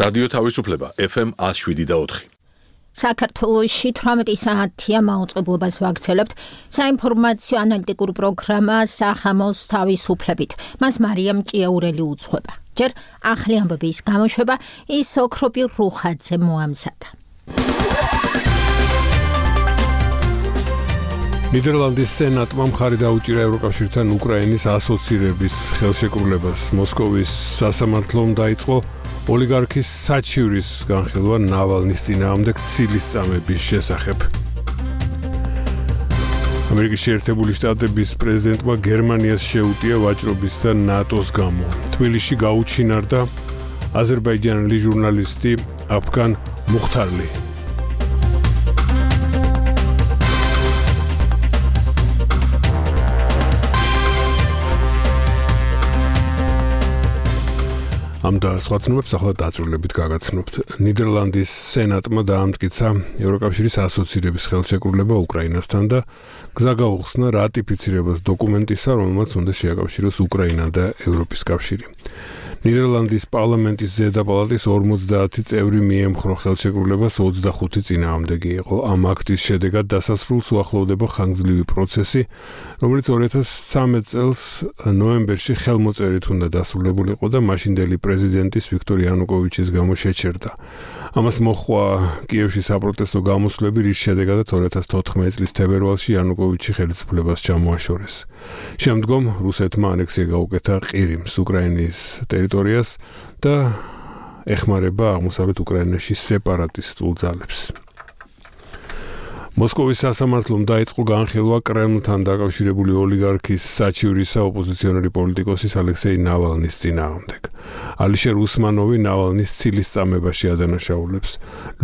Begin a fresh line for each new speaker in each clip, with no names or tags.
რადიო თავისუფლება FM 107.4.
საქართველოში 18 საათია მაუწყებლობას ვაგრძელებთ საინფორმაციო ანალიტიკურ პროგრამა სახამოს თავისუფლებით. მას მარიამ ჭიაურელი უძღვება. ჯერ ახალი ამბების გამოშვება ის ოქროპი რუხაძე მოამზადა.
ნიდერლანდის სენატმა მხარი დაუჭირა ევროკავშირთან უკრაინის ასოცირების ხელშეკრულებას. მოსკოვის სასამართლომ დაიწყო ოლიგარქის საჩივრის განხილვა ნავალნის წინააღმდეგ ცილისწამების შესახებ. ამერიკის შეერთებული შტატების პრეზიდენტმა გერმანიას შეუტია ვაჭრობის და ნატოს გამო. თბილისში გაუჩინარდა აზერბაიჯანელი ჟურნალისტი აფგან მუხთარლი. ამ და სხვა ცნობებს ახლა დაწვრილებით გაგაცნობთ. ნიდერლანდის სენატმა დაამტკიცა ევროკავშირის ასოცირების ხელშეკრულება უკრაინასთან და გზა გაუხსნა რატიფიცირებას დოკუმენტისა, რომელმაც უნდა შეაკავშიროს უკრაინა და ევროპის კავშირი. ნიდერლანდის პარლამენტის ზედა პალატის 50 წევრი მიემხრო ხელშეკრულებას 25 წინააღმდეგი იყო. ამ აქტის შედეგად დასასრულს უახლოვდება ხანგრძლივი პროცესი, რომელიც 2013 წელს ნოემბერში ხელმოწერით უნდა დასრულებულიყო და მაშინდელი პრეზიდენტის ვიქტორ იანუკოვიჩის გამო შეჩერდა. ამას მოჰყვა კიევში საპროტესტო გამოსვლები, რის შედეგადაც 2014 წლის თებერვალში იანუკოვიჩი ხელისუფლებას ჩამოაშორეს. შემდგომ რუსეთმა ანექსია გაუკეთა ყირიმს, უკრაინის ტერიტორიას და ეხმარება აღმოსავლეთ უკრაინაში სეპარატისტულ ძალებს. მოსკოვის სასამართლომ დაიწყო განხილვა კრემლთან დაკავშირებული ოლიგარქის საჩივრისა ოპოზიციონერი პოლიტიკოსის ალექსეი ნავალნის წინააღმდეგ. ალიშერ უსმანოვი ნავალნის ცილისწამებაში ადანაშაულებს.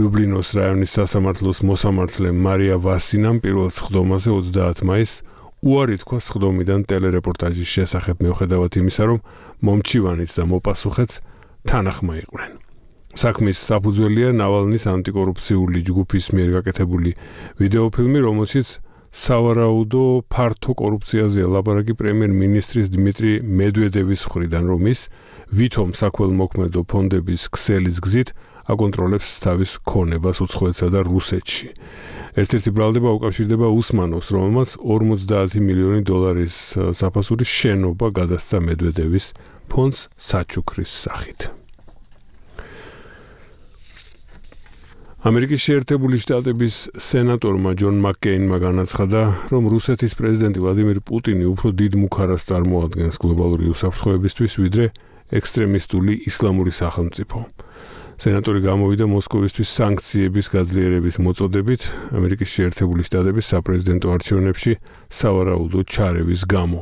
ლიუბლინოს რაიონის სასამართლოს მოსამართლე მარია ვასინამ პირველ სხდომაზე 30 მაისს უარი თქვა სხდომიდან ტელერეპორტაჟის შესახებ, მიუხედავად იმისა, რომ მომჩივანიც და მოპასუხეც თანახმა იყვნენ. საქმის საფუძველია ნავალნის ანტიკორუფციული ჯგუფის მიერ გაკეთებული ვიდეოფილმი, რომელშიც სავარაუდო ფართო კორუფციაზეა ლაპარაკი პრემიერ-მინისტრის დიმიტრი მედვედევის მხრიდან, რომ ის ვითომ საქველმოქმედო ფონდების ქსელის გზით აკონტროლებს თავის ქონებას უცხოეთსა და რუსეთში. ერთ-ერთი ბრალდება უკავშირდება უსმანოვს, რომელმაც 50 მილიონი დოლარის საფასური შენობა გადასცა მედვედევის ფონდს საჩუქრის სახით. ამერიკის შეერთებული შტატების სენატორმა ჯონ მაკკეინმა განაცხადა, რომ რუსეთის პრეზიდენტი ვლადიმիր პუტინი უფრო დიდ მუქარას წარმოადგენს გლობალური უსაფრთხოებისთვის, ვიდრე ექსტრემისტული ისლამური სახელმწიფო. სენატორი გამოვიდა მოსკოვისთვის სანქციების გაძლიერების მოწოდებით ამერიკის შეერთებული შტატების საპრეზიდენტო არჩევნებში სავარაუდო ჩარევის გამო.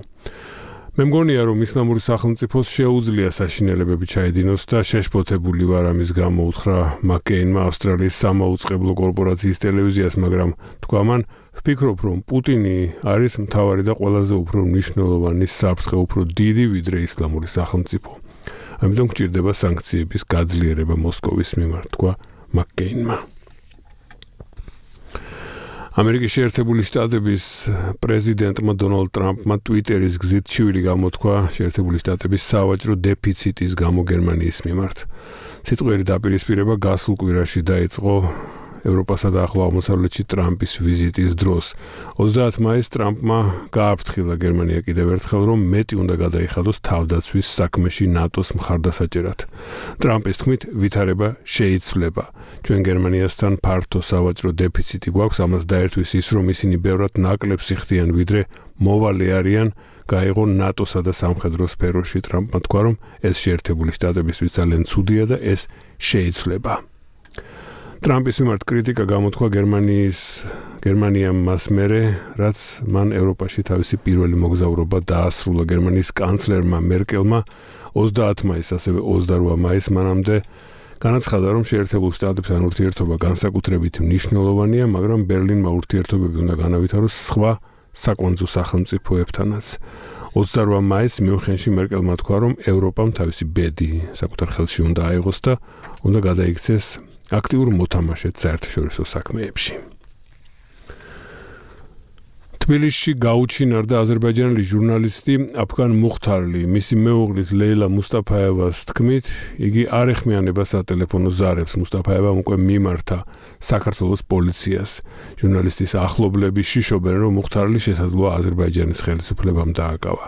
მე მგონია, რომ ისლამური სახელმწიფოს შეუძლია საშინელებები ჩაედინოს და შეშფოთებული ვარ ამის გამო, უთხრა მაკკეინმა ავსტრალიის სამაუწყებლო კორპორაციის ტელევიზიას, მაგრამ თქვა მან, ვფიქრობ, რომ პუტინი არის მთავარი და ყველაზე უფრო მნიშვნელოვანი საფრთხე, უფრო დიდი ვიდრე ისლამური სახელმწიფო. ამიტომ გჭირდება სანქციების გაძლიერება მოსკოვის მიმართ, თქვა მაკკეინმა. ამერიკის შეერთებული შტატების პრეზიდენტმა დონალდ ტრამპმა ტვიტერის გზით ჩივილი გამოთქვა შეერთებული შტატების სავაჭრო დეფიციტის გამო გერმანიის მიმართ. სიტყვიერი დაპირისპირება გასულ კვირაში დაიწყო ევროპასა და ახლო აღმოსავლეთში ტრამპის ვიზიტის დროს. 30 მაისს ტრამპმა გააფრთხილა გერმანია კიდევ ერთხელ, რომ მეტი უნდა გადაიხადოს თავდაცვის საქმეში ნატოს მხარდასაჭერად. ტრამპის თქმით, ვითარება შეიცვლება. ჩვენ გერმანიასთან ფართო სავაჭრო დეფიციტი გვაქვს, ამას დაერთვის ის, რომ ისინი ბევრად ნაკლებს იხდიან, ვიდრე მოვალი არიან, გაიღო ნატოსა და სამხედრო სფეროში. ტრამპმა თქვა, რომ ეს შეერთებული შტატებისთვის ძალიან ცუდია და ეს შეიცვლება. ტრამპის მიმართ კრიტიკა გამოთქვა გერმანიამ მას მერე, რაც მან ევროპაში თავისი პირველი მოგზაურობა დაასრულა. გერმანიის კანცლერმა მერკელმა 30 მაისს, ასევე 28 მაისს მანამდე განაცხადა, რომ შეერთებულ შტატებთან ურთიერთობა განსაკუთრებით მნიშვნელოვანია, მაგრამ ბერლინმა ურთიერთობები უნდა განავითაროს სხვა საკონძო სახელმწიფოებთანაც. 28 მაისს მიუნხენში მერკელმა თქვა, რომ ევროპამ თავისი ბედი საკუთარ ხელში უნდა აიღოს და უნდა გადაიქცეს აქტიურ მოთამაშედ საერთაშორისო საქმეებში. თბილისში გაუჩინარდა აზერბაიჯანელი ჟურნალისტი აფგან მუხთარლი. მისი მეუღლის ლეილა მუსტაფაევას თქმით, იგი არ ეხმიანება სატელეფონო ზარებს. მუსტაფაევამ უკვე მიმართა საქართველოს პოლიციას. ჟურნალისტის ახლობლები შიშობენ, რომ მუხთარლი შესაძლოა აზერბაიჯანის ხელისუფლებამ დააკავა.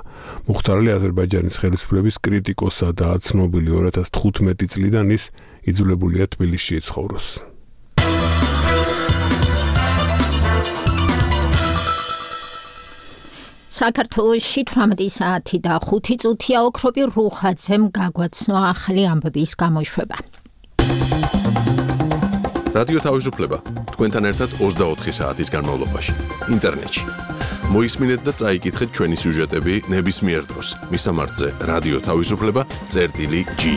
მუხთარლი აზერბაიჯანის ხელისუფლების კრიტიკოსადაა ცნობილი. 2015 წლიდან ის იძულებულია თბილისში იცხოვროს.
საქართველოში 18 საათი და 5 წუთია ოქროპი რუხაძემ გაგვაცნო ახალი ამბების გამოშვება.
რადიო თავისუფლება თქვენთან ერთად 24 საათის განმავლობაში ინტერნეტში. მოისმინეთ და წაიკითხეთ ჩვენი სიუჟეტები ნებისმიერ დროს. მისამართზე რადიო თავისუფლება.gi.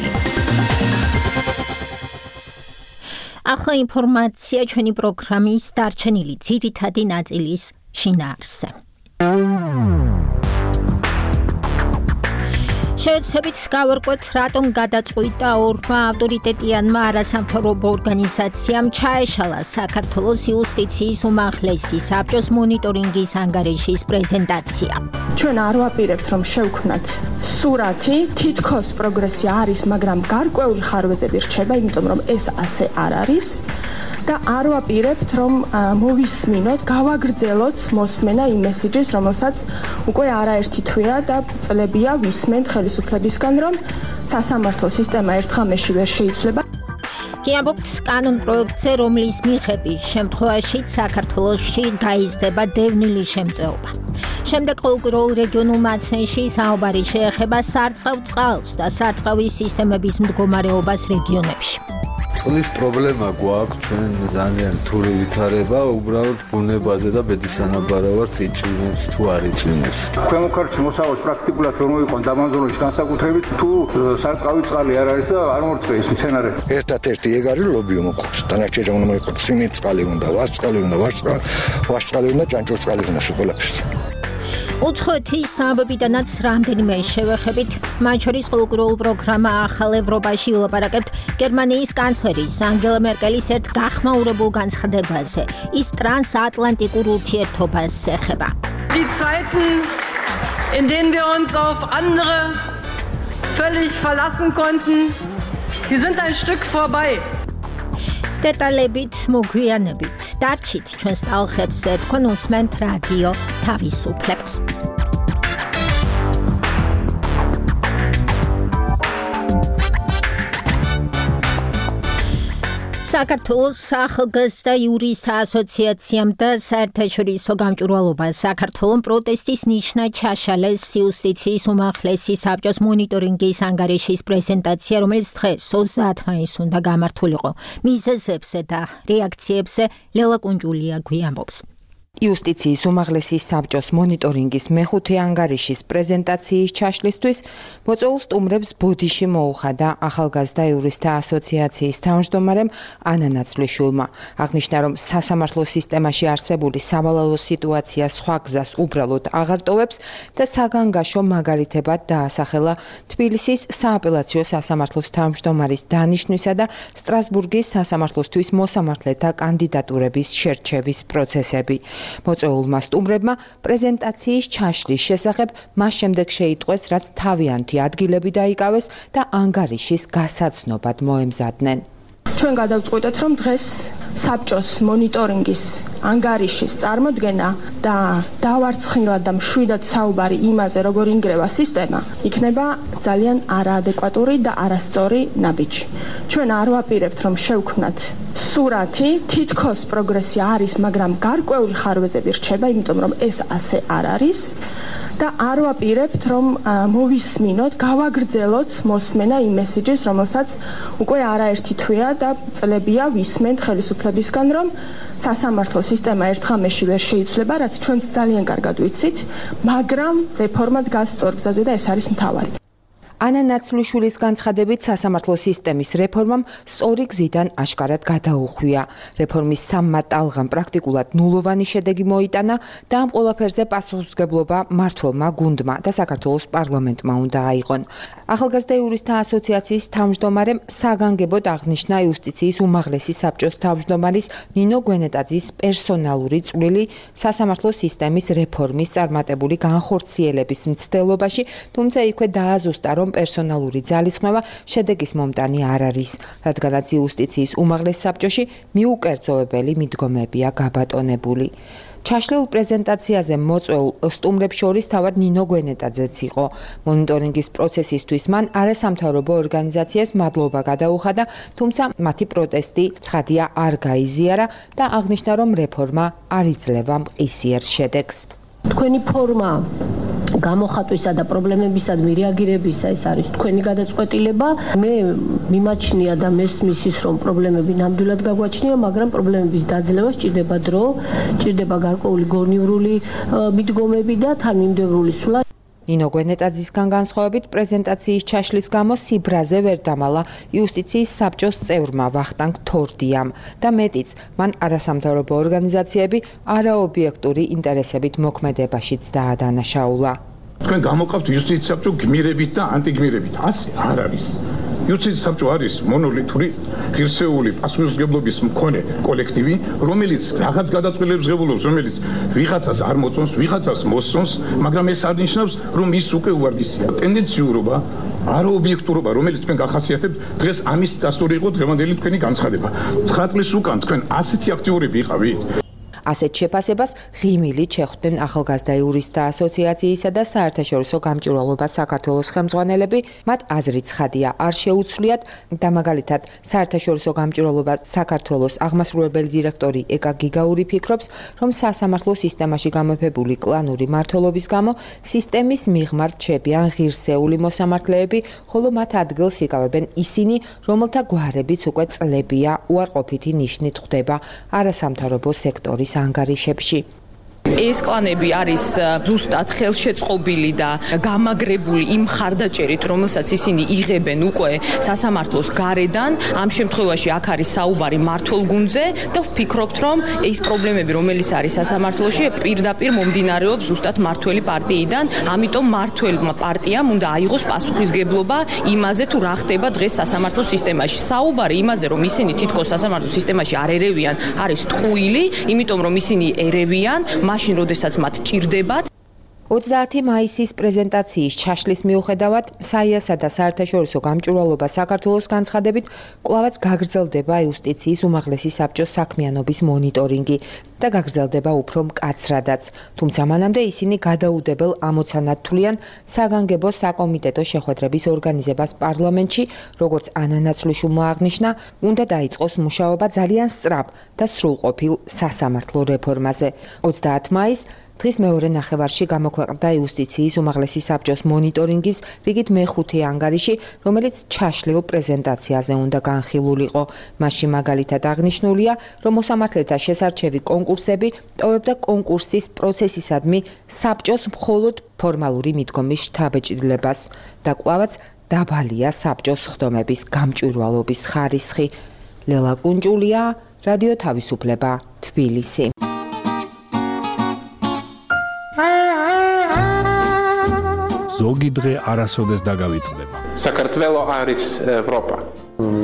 ახლა ინფორმაცია ჩვენი პროგრამის დარჩენილი ძირითადი ნაწილის შინაარსზე. შეეცებით გავარკვეთ, რატომ გადაწყვიტა ორმა ავტორიტეტიანმა არასამთავრობო ორგანიზაციამ ჩაეშალა საქართველოს იუსტიციის უმაღლესი საბჭოს მონიტორინგის ანგარიშის პრეზენტაცია.
ჩვენ არ ვაპირებთ, რომ შევქმნათ სურათი, თითქოს პროგრესი არის, მაგრამ გარკვეული ხარვეზები რჩება, იმიტომ რომ ეს ასე არ არის. და არ ვაპირებთ, რომ მოვისმინოთ, გავაგრძელოთ მოსმენა იმ მესიჯის, რომელსაც უკვე არაერთი თვეა და წლებია ვისმენთ ხელისუფლებისგან, რომ სასამართლო სისტემა ერთხმაში ვერ შეიცვლება.
გიამბობთ კანონ პროექტზე, რომლის მიხედვით შემთხვევაში საქართველოში გაიზრდება დევნილი შემწეობა. შემდეგ ყოველგვარულ რეგიონულ მაცნეში საუბარი შეეხება სარწყავ წყალს და სარწყავის სისტემების მდგომარეობას რეგიონებში.
წყლის პრობლემა გვაქვს, ჩვენ ძალიან რთული ვითარება, უბრალოდ ბუნებაზე და ბედის სანაბარავად იწვიმებს თუ არ იწვიმებს.
ქვემოქართში მოსავალს პრაქტიკულად რომ მოიყვან დამანზროლის განსაკუთრებით, თუ სარწყავი წყალი არ არის და არ მორწყე ის მცენარე.
ერთად-ერთი ეგ არის ლობიო მოყავს. დანარჩენი უნდა მოიყოს სიმინტ წყალი უნდა, ვარსწყალი უნდა, ვარსწყალი უნდა, ჭანჭურწყალი უნდა, ყველაფერს.
უცხოეთის სამბებიდანაც რამდენიმე შევეხებით, მათ შორის ყოველგვარულ პროგრამა ახალ ევროპაში ვილაპარაკებთ გერმანიის კანცლერის ანგელა მერკელის ერთ გახმაურებულ განცხადებაზე. ის ტრანსატლანტიკურ ურთიერთობას ეხება.
Die Zeiten, in denen wir uns auf andere völlig verlassen konnten, die sind ein Stück vorbei.
დეტალებით მოგვიანებით დარჩით ჩვენს ტალღებზე, თქვენ უსმენთ რადიო თავისუფლებას. საქართველოს ახალგაზრდა იურისტთა ასოციაციამ და საერთაშორისო გამჭვირვალობას საქართველოს პროტესტის ნიშნად ჩაშალეს იუსტიციის უმაღლესი საბჭოს მონიტორინგის ანგარიშის პრეზენტაცია, რომელიც დღეს 30 მაისს უნდა გამართულიყო. მიზეზებზე და რეაქციებზე ლელა კუნჯულია გვიამბობს.
იუსტიციის უმაღლესი საბჭოს მონიტორინგის მეხუთე ანგარიშის პრეზენტაციის ჩაშლისთვის მოწვეულ სტუმრებს ბოდიში მოუხადა ახალგაზრდა იურისტთა ასოციაციის თავმჯდომარემ ანა ნაცვლიშვილმა. აღნიშნა, რომ სასამართლო სისტემაში არსებული სავალალო სიტუაცია სხვა გზას უბრალოდ აღარ ტოვებს და საგანგაშო მაგალითებად დაასახელა თბილისის სააპელაციო სასამართლოს თავმჯდომარის დანიშვნისა და სტრასბურგის სასამართლოსთვის მოსამართლეთა კანდიდატურების შერჩევის პროცესები. მოწვეულმა სტუმრებმა პრეზენტაციის ჩაშლის შესახებ მას შემდეგ შეიტყვეს, რაც თავიანთი ადგილები დაიკავეს და ანგარიშის გასაცნობად მოემზადნენ.
ჩვენ გადავწყვიტეთ, რომ დღეს საბჭოს მონიტორინგის ანგარიშის წარმოდგენა და დავარცხნილად და მშვიდად საუბარი იმაზე, როგორ ინგრევა სისტემა, იქნება ძალიან არაადეკვატური და არასწორი ნაბიჯი. ჩვენ არ ვაპირებთ, რომ შევქმნათ სურათი, თითქოს პროგრესი არის, მაგრამ გარკვეული ხარვეზები რჩება, იმიტომ რომ ეს ასე არ არის. და არ ვაპირებთ, რომ მოვისმინოთ, გავაგრძელოთ მოსმენა იმ მესიჯის, რომელსაც უკვე არაერთი თვეა და წლებია ვისმენთ ხელისუფლებისგან, რომ სასამართლო სისტემა ერთხმაში ვერ შეიცვლება, რაც ჩვენც ძალიან კარგად ვიცით, მაგრამ რეფორმა დგას სწორ გზაზე და ეს არის მთავარი.
ანა ნაცვლიშვილის განცხადებით სასამართლო სისტემის რეფორმამ სწორი გზიდან აშკარად გადაუხვია. რეფორმის სამმა ტალღამ პრაქტიკულად ნულოვანი შედეგი მოიტანა და ამ ყველაფერზე პასუხისმგებლობა მმართველმა გუნდმა და საქართველოს პარლამენტმა უნდა აიღონ. ახალგაზრდა იურისტთა ასოციაციის თავმჯდომარემ საგანგებოდ აღნიშნა იუსტიციის უმაღლესი საბჭოს თავმჯდომარის ნინო გვენეტაძის პერსონალური წვლილი სასამართლო სისტემის რეფორმის წარმატებული განხორციელების მცდელობაში, თუმცა იქვე დააზუსტა, რომ პერსონალური ძალისხმევა შედეგის მომტანი არ არის, რადგანაც იუსტიციის უმაღლეს საბჭოში მიუკერძოებელი მიდგომებია გაბატონებული. ჩაშლილ პრეზენტაციაზე მოწვეულ სტუმრებს შორის თავად ნინო გვენეტაძეც იყო. მონიტორინგის პროცესისთვის მან არასამთავრობო ორგანიზაციებს მადლობა გადაუხადა, თუმცა მათი პროტესტი ცხადია არ გაიზიარა და აღნიშნა, რომ რეფორმა არ იძლევა მყისიერ შედეგს.
თქვენი ფორმა გამოხატვისა და პრობლემებისადმი რეაგირებისა ეს არის თქვენი გადაწყვეტილება. მე მიმაჩნია და მესმის ის, რომ პრობლემები ნამდვილად გაგვაჩნია, მაგრამ პრობლემების დაძლევა სჭირდება დრო, სჭირდება გარკვეული გონივრული მიდგომები და თანმიმდევრული სულა.
ნინო გვენეტაძისგან განსხვავებით პრეზენტაციის ჩაშლის გამო სიბრაზე ვერ დამალა იუსტიციის საბჭოს წევრმა ვახტანგ თორდიამ და მეტიც, მან არასამთავრობო ორგანიზაციები არაობიექტური ინტერესებით მოქმედებაშიც დაადანაშაულა.
თქვენ გამოვყავთ იუსტიციის საბჭო გმირებით და ანტიგმირებით. ასე არ არის. იუსტიციის საბჭო არის მონოლითური, ღირსეული პასუხისმგებლობის მქონე კოლექტივი, რომელიც რაღაც გადაწყვეტილებს ღებულობს, რომელიც ვიღაცას არ მოწონს, ვიღაცას მოსწონს, მაგრამ ეს არ ნიშნავს, რომ ის უკვე უვარგისია. ტენდენციურობა, არაობიექტურობა, რომელიც თქვენ გახასიათებთ, დღეს ამის დასტური იყო დღევანდელი თქვენი განცხადება. 9 წლის უკან თქვენ ასეთი აქტიურები იყავით.
ასეთ შეფასებას ღიმილით შეხვდნენ ახალგაზრდა იურისტთა ასოციაციისა და საერთაშორისო გამჭვირვალობა საქართველოს ხელმძღვანელები. მათ აზრით ცხადია, არ შეუცვლიათ და მაგალითად საერთაშორისო გამჭვირვალობა საქართველოს აღმასრულებელი დირექტორი ეკა გიგაური ფიქრობს, რომ სასამართლო სისტემაში გამეფებული კლანური მმართველობის გამო სისტემის მიღმა რჩებიან ღირსეული მოსამართლეები, ხოლო მათ ადგილს იკავებენ ისინი, რომელთა გვარებიც უკვე წლებია უარყოფითი ნიშნით ხვდება არასამთავრობო სექტორის ანგარიშებში.
ეს კლანები არის ზუსტად ხელშეწყობილი და გამაგრებული იმ ხარდაჭერით, რომელსაც ისინი იღებენ უკვე სასამართლოს გარედან. ამ შემთხვევაში აქ არის საუბარი მმართველ გუნდზე და ვფიქრობთ, რომ ეს პრობლემები, რომელიც არის სასამართლოში, პირდაპირ მომდინარეობს ზუსტად მმართველი პარტიიდან. ამიტომ მმართველმა პარტიამ უნდა აიღოს პასუხისმგებლობა იმაზე, თუ რა ხდება დღეს სასამართლო სისტემაში. საუბარი იმაზე, რომ ისინი თითქოს სასამართლო სისტემაში არ ერევიან, არის ტყუილი, იმიტომ რომ ისინი ერევიან მაშინ, როდესაც მათ ჭირდებათ.
30 მაისის პრეზენტაციის ჩაშლის მიუხედავად, საიასა და საერთაშორისო გამჭვირვალობა საქართველოს განცხადებით, კვლავაც გაგრძელდება იუსტიციის უმაღლესი საბჭოს საქმიანობის მონიტორინგი და გაგრძელდება უფრო მკაცრადაც. თუმცა მანამდე ისინი გადაუდებელ ამოცანად თვლიან საგანგებო საკომიტეტო შეხვედრების ორგანიზებას პარლამენტში, როგორც ანა ნაცვლიშვილმა აღნიშნა, უნდა დაიწყოს მუშაობა ძალიან სწრაფ და სრულყოფილ სასამართლო რეფორმაზე. 30 მაისს დღის მეორე ნახევარში გამოქვეყნდა იუსტიციის უმაღლესი საბჭოს მონიტორინგის რიგით მეხუთე ანგარიში, რომელიც ჩაშლილ პრეზენტაციაზე უნდა განხილულიყო. მასში მაგალითად აღნიშნულია, რომ მოსამართლეთა შესარჩევი კონკურსები ტოვებდა კონკურსის პროცესისადმი საბჭოს მხოლოდ ფორმალური მიდგომის შთაბეჭდილებას და კვლავაც დაბალია საბჭოს ხდომების გამჭვირვალობის ხარისხი. ლელა კუნჭულია, რადიო თავისუფლება, თბილისი.
ზოგი დღე არასოდეს დაგავიწყდება.
საქართველო არის ევროპა.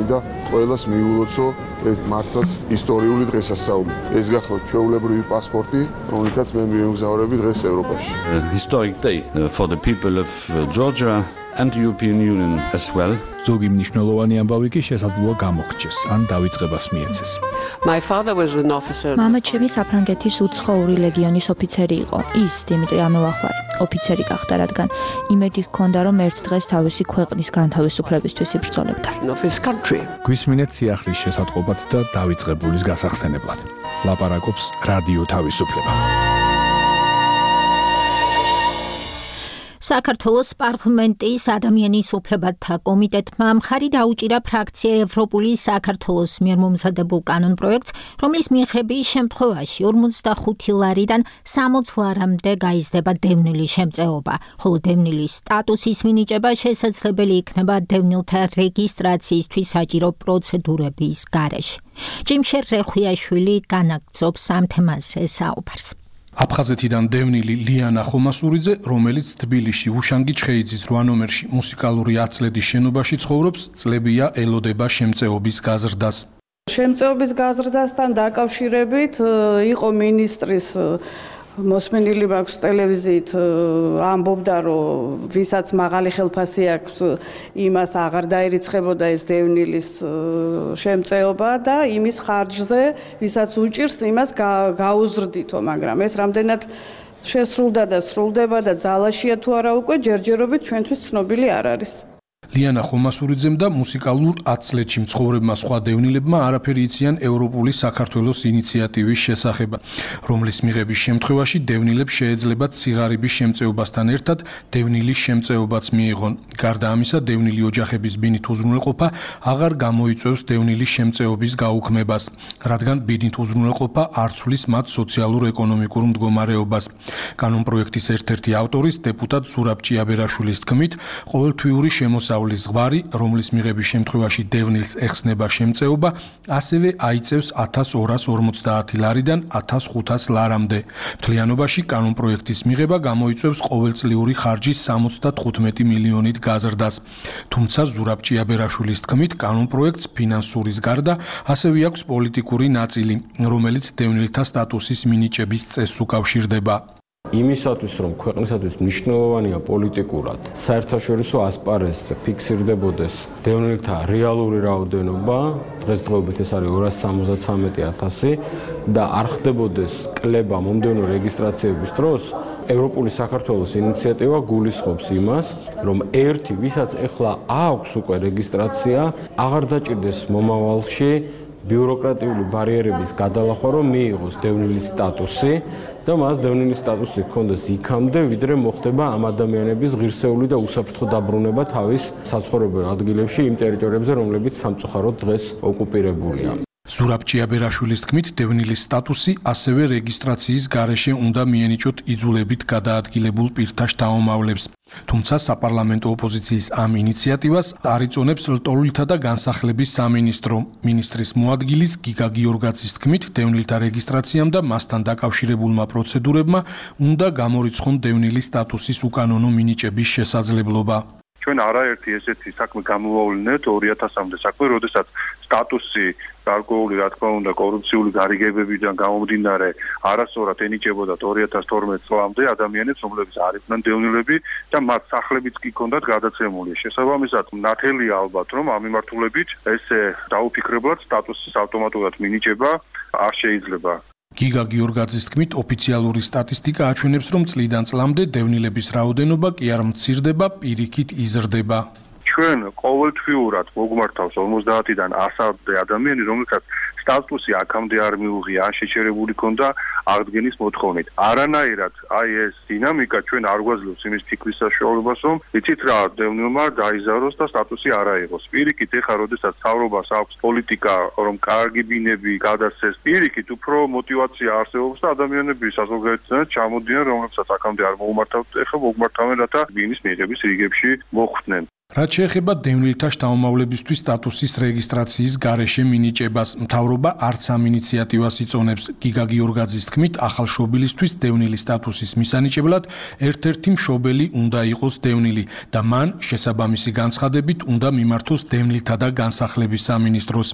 და ყველას მიულოცო ეს მართლაც ისტორიული დღესასწაული. ეს გახლავთ ჩვეულებრივი პასპორტი, რომელთაც მე მიემგზავრები დღეს ევროპაში.
Historic day for the people of Georgia and the European Union as well.
ზოგი მნიშვნელოვანი ამბავი კი შესაძლოა გამოგრჩეს, ან დავიწყებას მიეცეს.
My father was an officer.
მამა ჩემი საფრანგეთის უცხოური ლეგიონის ოფიცერი იყო. ის დიმიტრი ამელახვარი ოფიცერი გახდა, რადგან იმედი ჰქონდა, რომ ერთ დღეს თავისი ქვეყნის განთავისუფლებისთვის იბრძოლებდა.
გვისმინეთ სიახლის შესატყობად და დავიწყებულის გასახსენებლად. ლაპარაკობს რადიო თავისუფლება.
საქართველოს პარლამენტის ადამიანის უფლებათა კომიტეტმა მხარი დაუჭირა ფრაქცია ევროპული საქართველოს მიერ მომზადებულ კანონპროექტს, რომლის მიხედვით შემთხვევაში 45 ლარიდან 60 ლარამდე გაიზრდება დევნილი შემწეობა, ხოლო დევნილის სტატუსის მინიჭება შესაძლებელი იქნება დევნილთა რეგისტრაციისთვის საჭირო პროცედურების გარეშე. ჯიმშერ რეხვიაშვილი განაგრძობს ამ თემაზე საუბარს.
აფხაზეთიდან დევნილი ლიანა ხომასურიძე, რომელიც თბილისში უშანგი ჩხეიძის 8 ნომერში მუსიკალური აცლედის შენობაში ცხოვრობს, წლებია ელოდება შემწეობის გაზრდას.
შემწეობის გაზრდასთან დაკავშირებით იყო მინისტრის მოსმენილი მაქვს ტელევიზიით ამბობდა, რომ ვისაც მაღალი ხელფასი აქვს, იმას აღარ დაერიცხებოდა ეს დევნის შემწეობა და იმის ხარჯზე, ვისაც უჭირს, იმას გაუზრდითო, მაგრამ ეს რამდენად შესრულდა და სრულდება და ძალაშია თუ არა უკვე ჯერჯერობით ჩვენთვის ცნობილი არ არის.
ლიანა ხომასურიძემ და მუსიკალურ აცლეთში მცხოვრებმა სხვა დევნილებმა არაფერი იციან ევროპული საქართველოს ინიციატივის შესახებ, რომლის მიღების შემთხვევაში დევნილებს შეეძლებათ ციგარების შემწეობასთან ერთად დევნილის შემწეობაც მიიღონ. გარდა ამისა, დევნილი ოჯახების ბინით უზრუნველყოფა აღარ გამოიწვევს დევნილის შემწეობის გაუქმებას, რადგან ბინით უზრუნველყოფა არ ცვლის მათ სოციალურ-ეკონომიკურ მდგომარეობას. კანონპროექტის ერთ-ერთი ავტორის დეპუტატ ზურაბ ჭიაბერაშვილის თქმით, ყოველთვიური შემოსავლის ზღვარი, რომლის მიღების შემთხვევაში დევნილს ეხსნება შემწეობა, ასევე აიწევს 1250 ლარიდან 1500 ლარამდე. მთლიანობაში კანონპროექტის მიღება გამოიწვევს ყოველწლიური ხარჯის 75 მილიონით გაზრდას. თუმცა ზურაბ ჭიაბერაშვილის თქმით, კანონპროექტს ფინანსურის გარდა ასევე აქვს პოლიტიკური ნაწილი, რომელიც დევნილთა სტატუსის მინიჭების წესს უკავშირდება.
იმისათვის, რომ ქვეყნისათვის მნიშვნელოვანია პოლიტიკურად, საერთაშორისო ასპარეზზე ფიქსირდებოდეს დევნილთა რეალური რაოდენობა, დღესდღეობით ეს არის 273,000 და არ ხდებოდეს კლება მომდევნო რეგისტრაციების დროს, ევროპული საქართველოს ინიციატივა გულისხმობს იმას, რომ ერთი, ვისაც ეხლა აქვს უკვე რეგისტრაცია, აღარ დაჭირდეს მომავალში ბიუროკრატიული ბარიერების გადალახვა, რომ მიიღოს დევნილის სტატუსი და მას დევნილის სტატუსი ჰქონდეს იქამდე, ვიდრე მოხდება ამ ადამიანების ღირსეული და უსაფრთხო დაბრუნება თავის საცხოვრებელ ადგილებში იმ ტერიტორიებზე, რომლებიც სამწუხაროდ დღეს ოკუპირებულია.
ზურაბ ჭიაბერაშვილის თქმით, დევნილის სტატუსი ასევე რეგისტრაციის გარეშე უნდა მიენიჭოთ იძულებით გადაადგილებულ პირთა შთამომავლებს. თუმცა საპარლამენტო ოპოზიციის ამ ინიციატივას არ იწონებს ლტოლვილთა და განსახლების სამინისტრო. მინისტრის მოადგილის გიგა გიორგაძის თქმით, დევნილთა რეგისტრაციამ და მასთან დაკავშირებულმა პროცედურებმა უნდა გამორიცხონ დევნილის სტატუსის უკანონო მინიჭების შესაძლებლობა.
ჩვენ არაერთი ესეთი საქმე გამოვავლინეთ 2000-მდე საქმე, როდესაც სტატუსი გარკვეული, რა თქმა უნდა, კორუფციული გარიგებებიდან გამომდინარე არასწორად ენიჭებოდა 2012 წლამდე ადამიანებს, რომლებიც არ იყვნენ დევნილები და მათ სახლებიც კი ჰქონდათ გადაცემული. შესაბამისად, ნათელია ალბათ, რომ ამ მიმართულებით ესე დაუფიქრებლად სტატუსის ავტომატურად მინიჭება არ შეიძლება.
გიგა გიორგაძის თქმით, ოფიციალური სტატისტიკა აჩვენებს, რომ წლიდან წლამდე დევნილების რაოდენობა კი არ მცირდება, პირიქით იზრდება.
ჩვენ ყოველთვიურად მოგმართავს 50-დან 100-მდე ადამიანი, რომელსაც სტატუსი აქამდე არ მიუღია, ან შეჩერებული ქონდა აღდგენის მოთხოვნით. არანაირად აი ეს დინამიკა ჩვენ არ გვაძლევს იმის ფიქრის საშუალებას, რომ იცით რა, დევნილმა დაიზაროს და სტატუსი არ აიღოს. პირიქით, ეხლა როდესაც მთავრობას აქვს პოლიტიკა, რომ კარგი ბინები გადასცეს, პირიქით უფრო мотиваცია არსებობს და ადამიანები საზოგადოებიდან ჩამოდიან, რომლებსაც აქამდე არ მოუმართავთ, ეხლა მოგმართავენ, რათა ბინის მიღების რიგებში მოხვდნენ.
რაც შეეხება დევნილთა შთამომავლებისთვის სტატუსის რეგისტრაციის გარეშე მინიჭებას, მთავრობა არც ამ ინიციატივას იწონებს. გიგა გიორგაძის თქმით, ახალ შობილისთვის დევნილის სტატუსის მისანიჭებლად ერთ-ერთი მშობელი უნდა იყოს დევნილი და მან შესაბამისი განცხადებით უნდა მიმართოს დევნილთა და განსახლების სამინისტროს.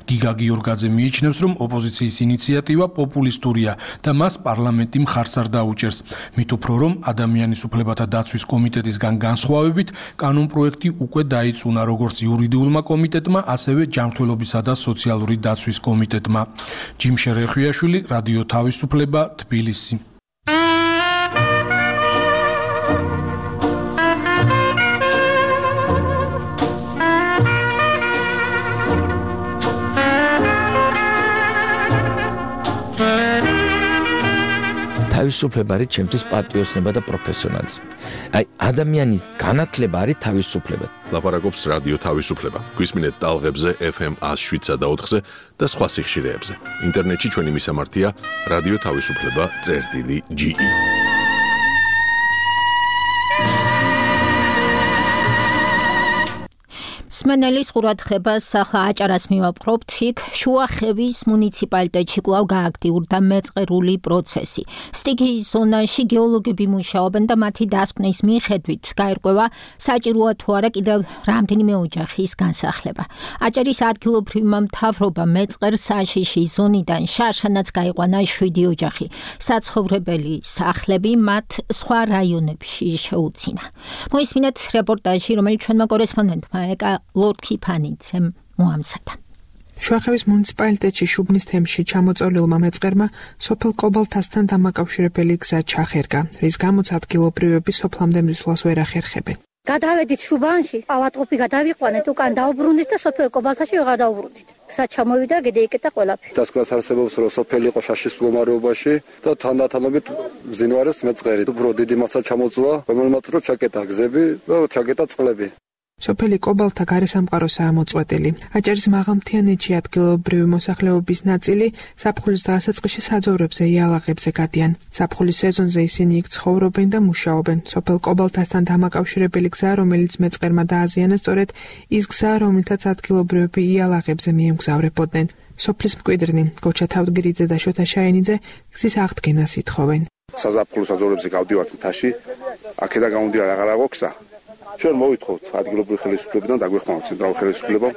გიგა გიორგაძე მიიჩნევს, რომ ოპოზიციის ინიციატივა პოპულისტურია და მას პარლამენტი მხარს არ დაუჭერს. მით უფრო რომ ადამიანის უფლებათა დაცვის კომიტეტისგან განსხვავებით, კანონპროექტი უკვე დაიწუნა როგორც იურიდიულმა კომიტეტმა, ასევე ჯანმრთელობისა და სოციალური დაცვის კომიტეტმა. ჯიმშერ რეხვიაშვილი, რადიო თავისუფლება, თბილისი.
თავისუფლება არის ჩემთვის პატრიოტიზმი და პროფესიონალიზმი. აი ადამიანის განათლება არის თავისუფლება.
ლაპარაკობს რადიო თავისუფლება. გვისმინეთ ტალღებზე FM 107 და 4-ზე და სხვა სიხშირეებზე. ინტერნეტში ჩვენი მისამართია რადიო თავისუფლება.ge.
სმენელის ყურადღებას ახლა აჭარას მივაპყრობთ. იქ შუახევის მუნიციპალიტეტში კვლავ გააქტიურდა მეწყერული პროცესი. სტიქიის ზონაში გეოლოგები მუშაობენ და მათი დასკვნის მიხედვით გაირკვევა საჭიროა თუ არა კიდევ რამდენიმე ოჯახის განსახლება. აჭარის ადგილობრივმა მთავრობამ მეწყერ საშიში ზონიდან შარშანაც გაიყვანა 7 ოჯახი. საცხოვრებელი სახლები მათ სხვა რაიონებში შეუძინა. მოისმინეთ რეპორტაჟი, რომელიც ჩვენმა კორესპონდენტმა ეკა ლორდ-ქიფანიძემ მოამზადა.
შუახევის მუნიციპალიტეტში შუბნის თემში ჩამოწოლილმა მეწყერმა სოფელ კობალთასთან დამაკავშირებელი გზა ჩახერგა, რის გამოც ადგილობრივები სოფლამდე მისვლას ვერ ახერხებენ.
გადავედით შუბანში, ავადყოფი გადავიყვანეთ, უკან დაუბრუნდით და სოფელ კობალთაში ვეღარ დაუბრუნდით. გზა ჩამოვიდა, გადაიკეტა ყველაფერი.
დასკვნას არსებობს, რომ სოფელი იყო შაშის მდგომარეობაში და თანდათანობით მძინვარებს მეწყერი. უფრო დიდი მასა ჩამოწვა, რომელმაც რო ჩაკეტა გზები და ჩაკეტა წყლები.
სოფელი კობალთა გარესამყაროსაა მოწყვეტილი. აჭარის მაღალმთიანეთში ადგილობრივი მოსახლეობის ნაწილი ზაფხულის დასაწყისში საძოვრებზე იალაღებზე გადიან. ზაფხულის სეზონზე ისინი იქ ცხოვრობენ და მუშაობენ. სოფელ კობალთასთან დამაკავშირებელი გზა, რომელიც მეწყერმა დააზიანა, სწორედ ის გზა, რომელთაც ადგილობრივები იალაღებზე მიემგზავრებოდნენ. სოფლის მკვიდრნი გოჩა თავდგირიძე და შოთა შაენიძე გზის აღდგენას ითხოვენ.
საზაფხულო საძოვრებზე გავდივართ მთაში, აქედან გამომდინარე აღარ აქვს გზა. ჩვენ მოვითხოვთ ადგილობრივი ხელისუფლებიდან დაგვეხმაროთ ცენტრალურ ხელისუფლებამ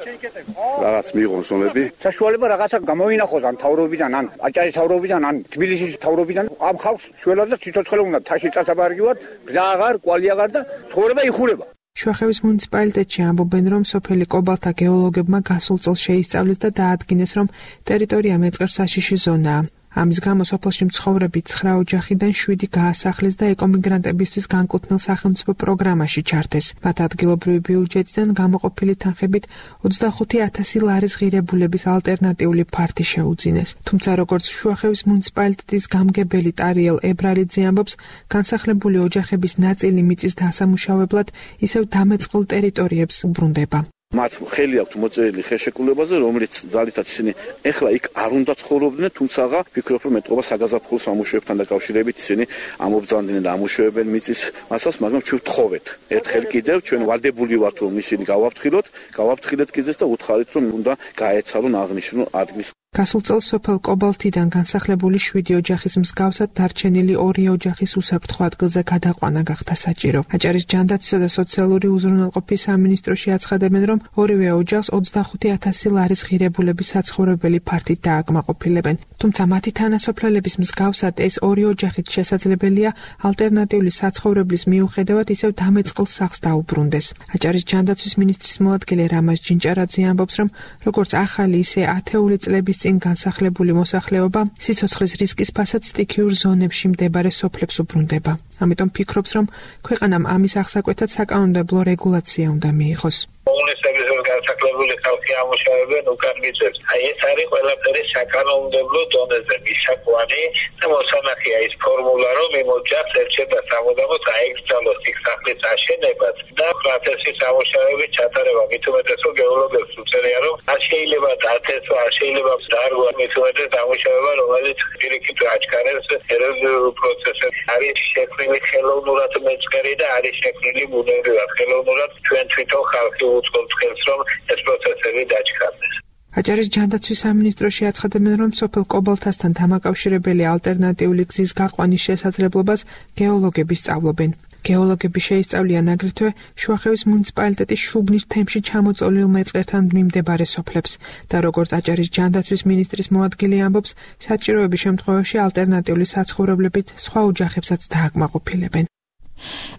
რაღაც მიიღონ ზონები.
საშუალება რაღაცა გამოინახოს ან თავრობიდან, ან აჭარის თავრობიდან, ან თბილისის თავრობიდან. ამ ხალხს შველად და ციცოცხლე უნდა თაში წასაბარგივად, გზა აღარ, კვალი აღარ და ცხოვრება იხურება.
შუახევის მუნიციპალიტეტში ამბობენ, რომ სოფელი კობალთა გეოლოგებმა გასულ წელს შეისწავლეს და დაადგინეს, რომ ტერიტორია მეწყერ საშიში ზონაა. ამის გამო სოფელში მცხოვრები 9 ოჯახიდან 7 გაასახლეს და ეკომიგრანტებისთვის განკუთვნილ სახელმწიფო პროგრამაში ჩართეს. მათ ადგილობრივი ბიუჯეტიდან გამოყოფილი თანხებით 25,000 ლარის ღირებულების ალტერნატიული ფართი შეუძინეს. თუმცა როგორც შუახევის მუნიციპალიტეტის გამგებელი ტარიელ ებრალიძე ამბობს, განსახლებული ოჯახების ნაწილი მიწის დასამუშავებლად ისევ დამეწყილ ტერიტორიებს უბრუნდება.
მათ ხელი აქვთ მოწერილი ხელშეკრულებაზე, რომელიც ძალითაც ისინი ეხლა იქ არ უნდა ცხოვრობდნენ, თუმცა ვფიქრობ, რომ ეტყობა საგაზაფხულო სამუშაოებთან დაკავშირებით ისინი ამობრძანდნენ და ამუშავებენ მიწის მასას, მაგრამ ჩვენ ვთხოვეთ. ერთხელ კიდევ ჩვენ ვალდებული ვართ, რომ ისინი გავაფრთხილეთ გიზეს და უთხარით, რომ უნდა გაეცალონ აღნიშნულ ადგილს.
გასულ წელს სოფელ კობალთიდან განსახლებული 7 ოჯახის მსგავსად დარჩენილი 2 ოჯახის უსაფრთხო ადგილზე გადაყვანა გახდა საჭირო. აჭარის ჯანდაცვისა და სოციალური უზრუნველყოფის სამინისტროში აცხადებენ, რომ ორივე ოჯახს 25,000 ლარის ღირებულების საცხოვრებელი ფართით დააკმაყოფილებენ. თუმცა მათი თანასოფლელების მსგავსად ეს 2 ოჯახით შესაძლებელია ალტერნატიული საცხოვრებლის მიუხედავად ისევ დამეწყილ სახლს დაუბრუნდეს. აჭარის ჯანდაცვის მინისტრის მოადგილე რამაზ ჯინჭარაძე ამბობს, რომ როგორც ახალი, ისე ათეული წლების წინ განსახლებული მოსახლეობა სიცოცხლის რისკის ფასად სტიქიურ ზონებში მდებარე სოფლებს უბრუნდება. ამიტომ ფიქრობს, რომ ქვეყანამ ამის აღსაკვეთად საკანონმდებლო რეგულაცია უნდა მიიღოს.
კომუნისტების განსახლებული ხალხი ამუშავებენ უკან მიწებს. აი ეს არის ყველაფერი საკანონმდებლო დონეზე მისაკვანი და მოსანახია ის ფორმულა, რომ იმ ოჯახს ერჩება სამუდამოდ აეკრძალოს იქ სახლის აშენებას და პროცესის ამუშავების ჩატარება. მით უმეტეს რომ გეოლოგებს უწევია, რომ არ შეიძლება დაწესო, არ შეიძლება დარგვა მით უმეტეს ამუშავება, რომელიც პირიქით აჩქარებს ეროვნულ პროცესებს. არის შექმნილი ხელოვნურად მეწყერი და არის შექმნილი ბუნებრივად ხელოვნურად ჩვენ თვითონ ხალხი უწყობთ ხელს, რომ ეს პროცესები დაჩქარდეს.
აჭარის ჯანდაცვის სამინისტროში აცხადებენ, რომ სოფელ კობალთასთან დამაკავშირებელი ალტერნატიული გზის გაყვანის შესაძლებლობას გეოლოგები სწავლობენ. გეოლოგები შეისწავლიან აგრეთვე შუახევის მუნიციპალიტეტის შუბნის თემში ჩამოწოლილ მეწყერთან მიმდებარე სოფლებს და როგორც აჭარის ჯანდაცვის მინისტრის მოადგილე ამბობს, საჭიროების შემთხვევაში ალტერნატიული საცხოვრებლებით სხვა ოჯახებსაც დააკმაყოფილებენ.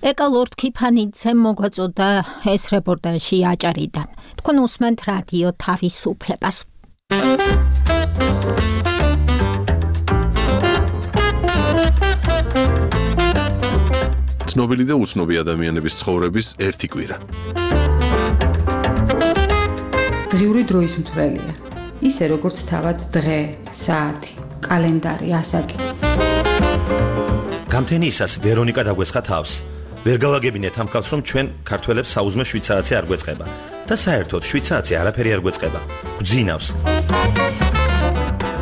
ეკა ლორდ-ქიფანიძემ მოგვაწოდა ეს რეპორტაჟი აჭარიდან. თქვენ უსმენთ რადიო თავისუფლებას.
ცნობილი და უცნობი ადამიანების ცხოვრების ერთი კვირა.
დღიური დროის მთვრელია. ისე როგორც თავად დღე, საათი, კალენდარი, ასაკი.
გამთენიისას ვერონიკა დაგვესხა თავს. ვერ გავაგებინეთ ამ ხალხს, რომ ჩვენ ქართველებს საუზმე 7 საათი არ გვეწყება და საერთოდ 7 საათი არაფერი არ გვეწყება. გვძინავს.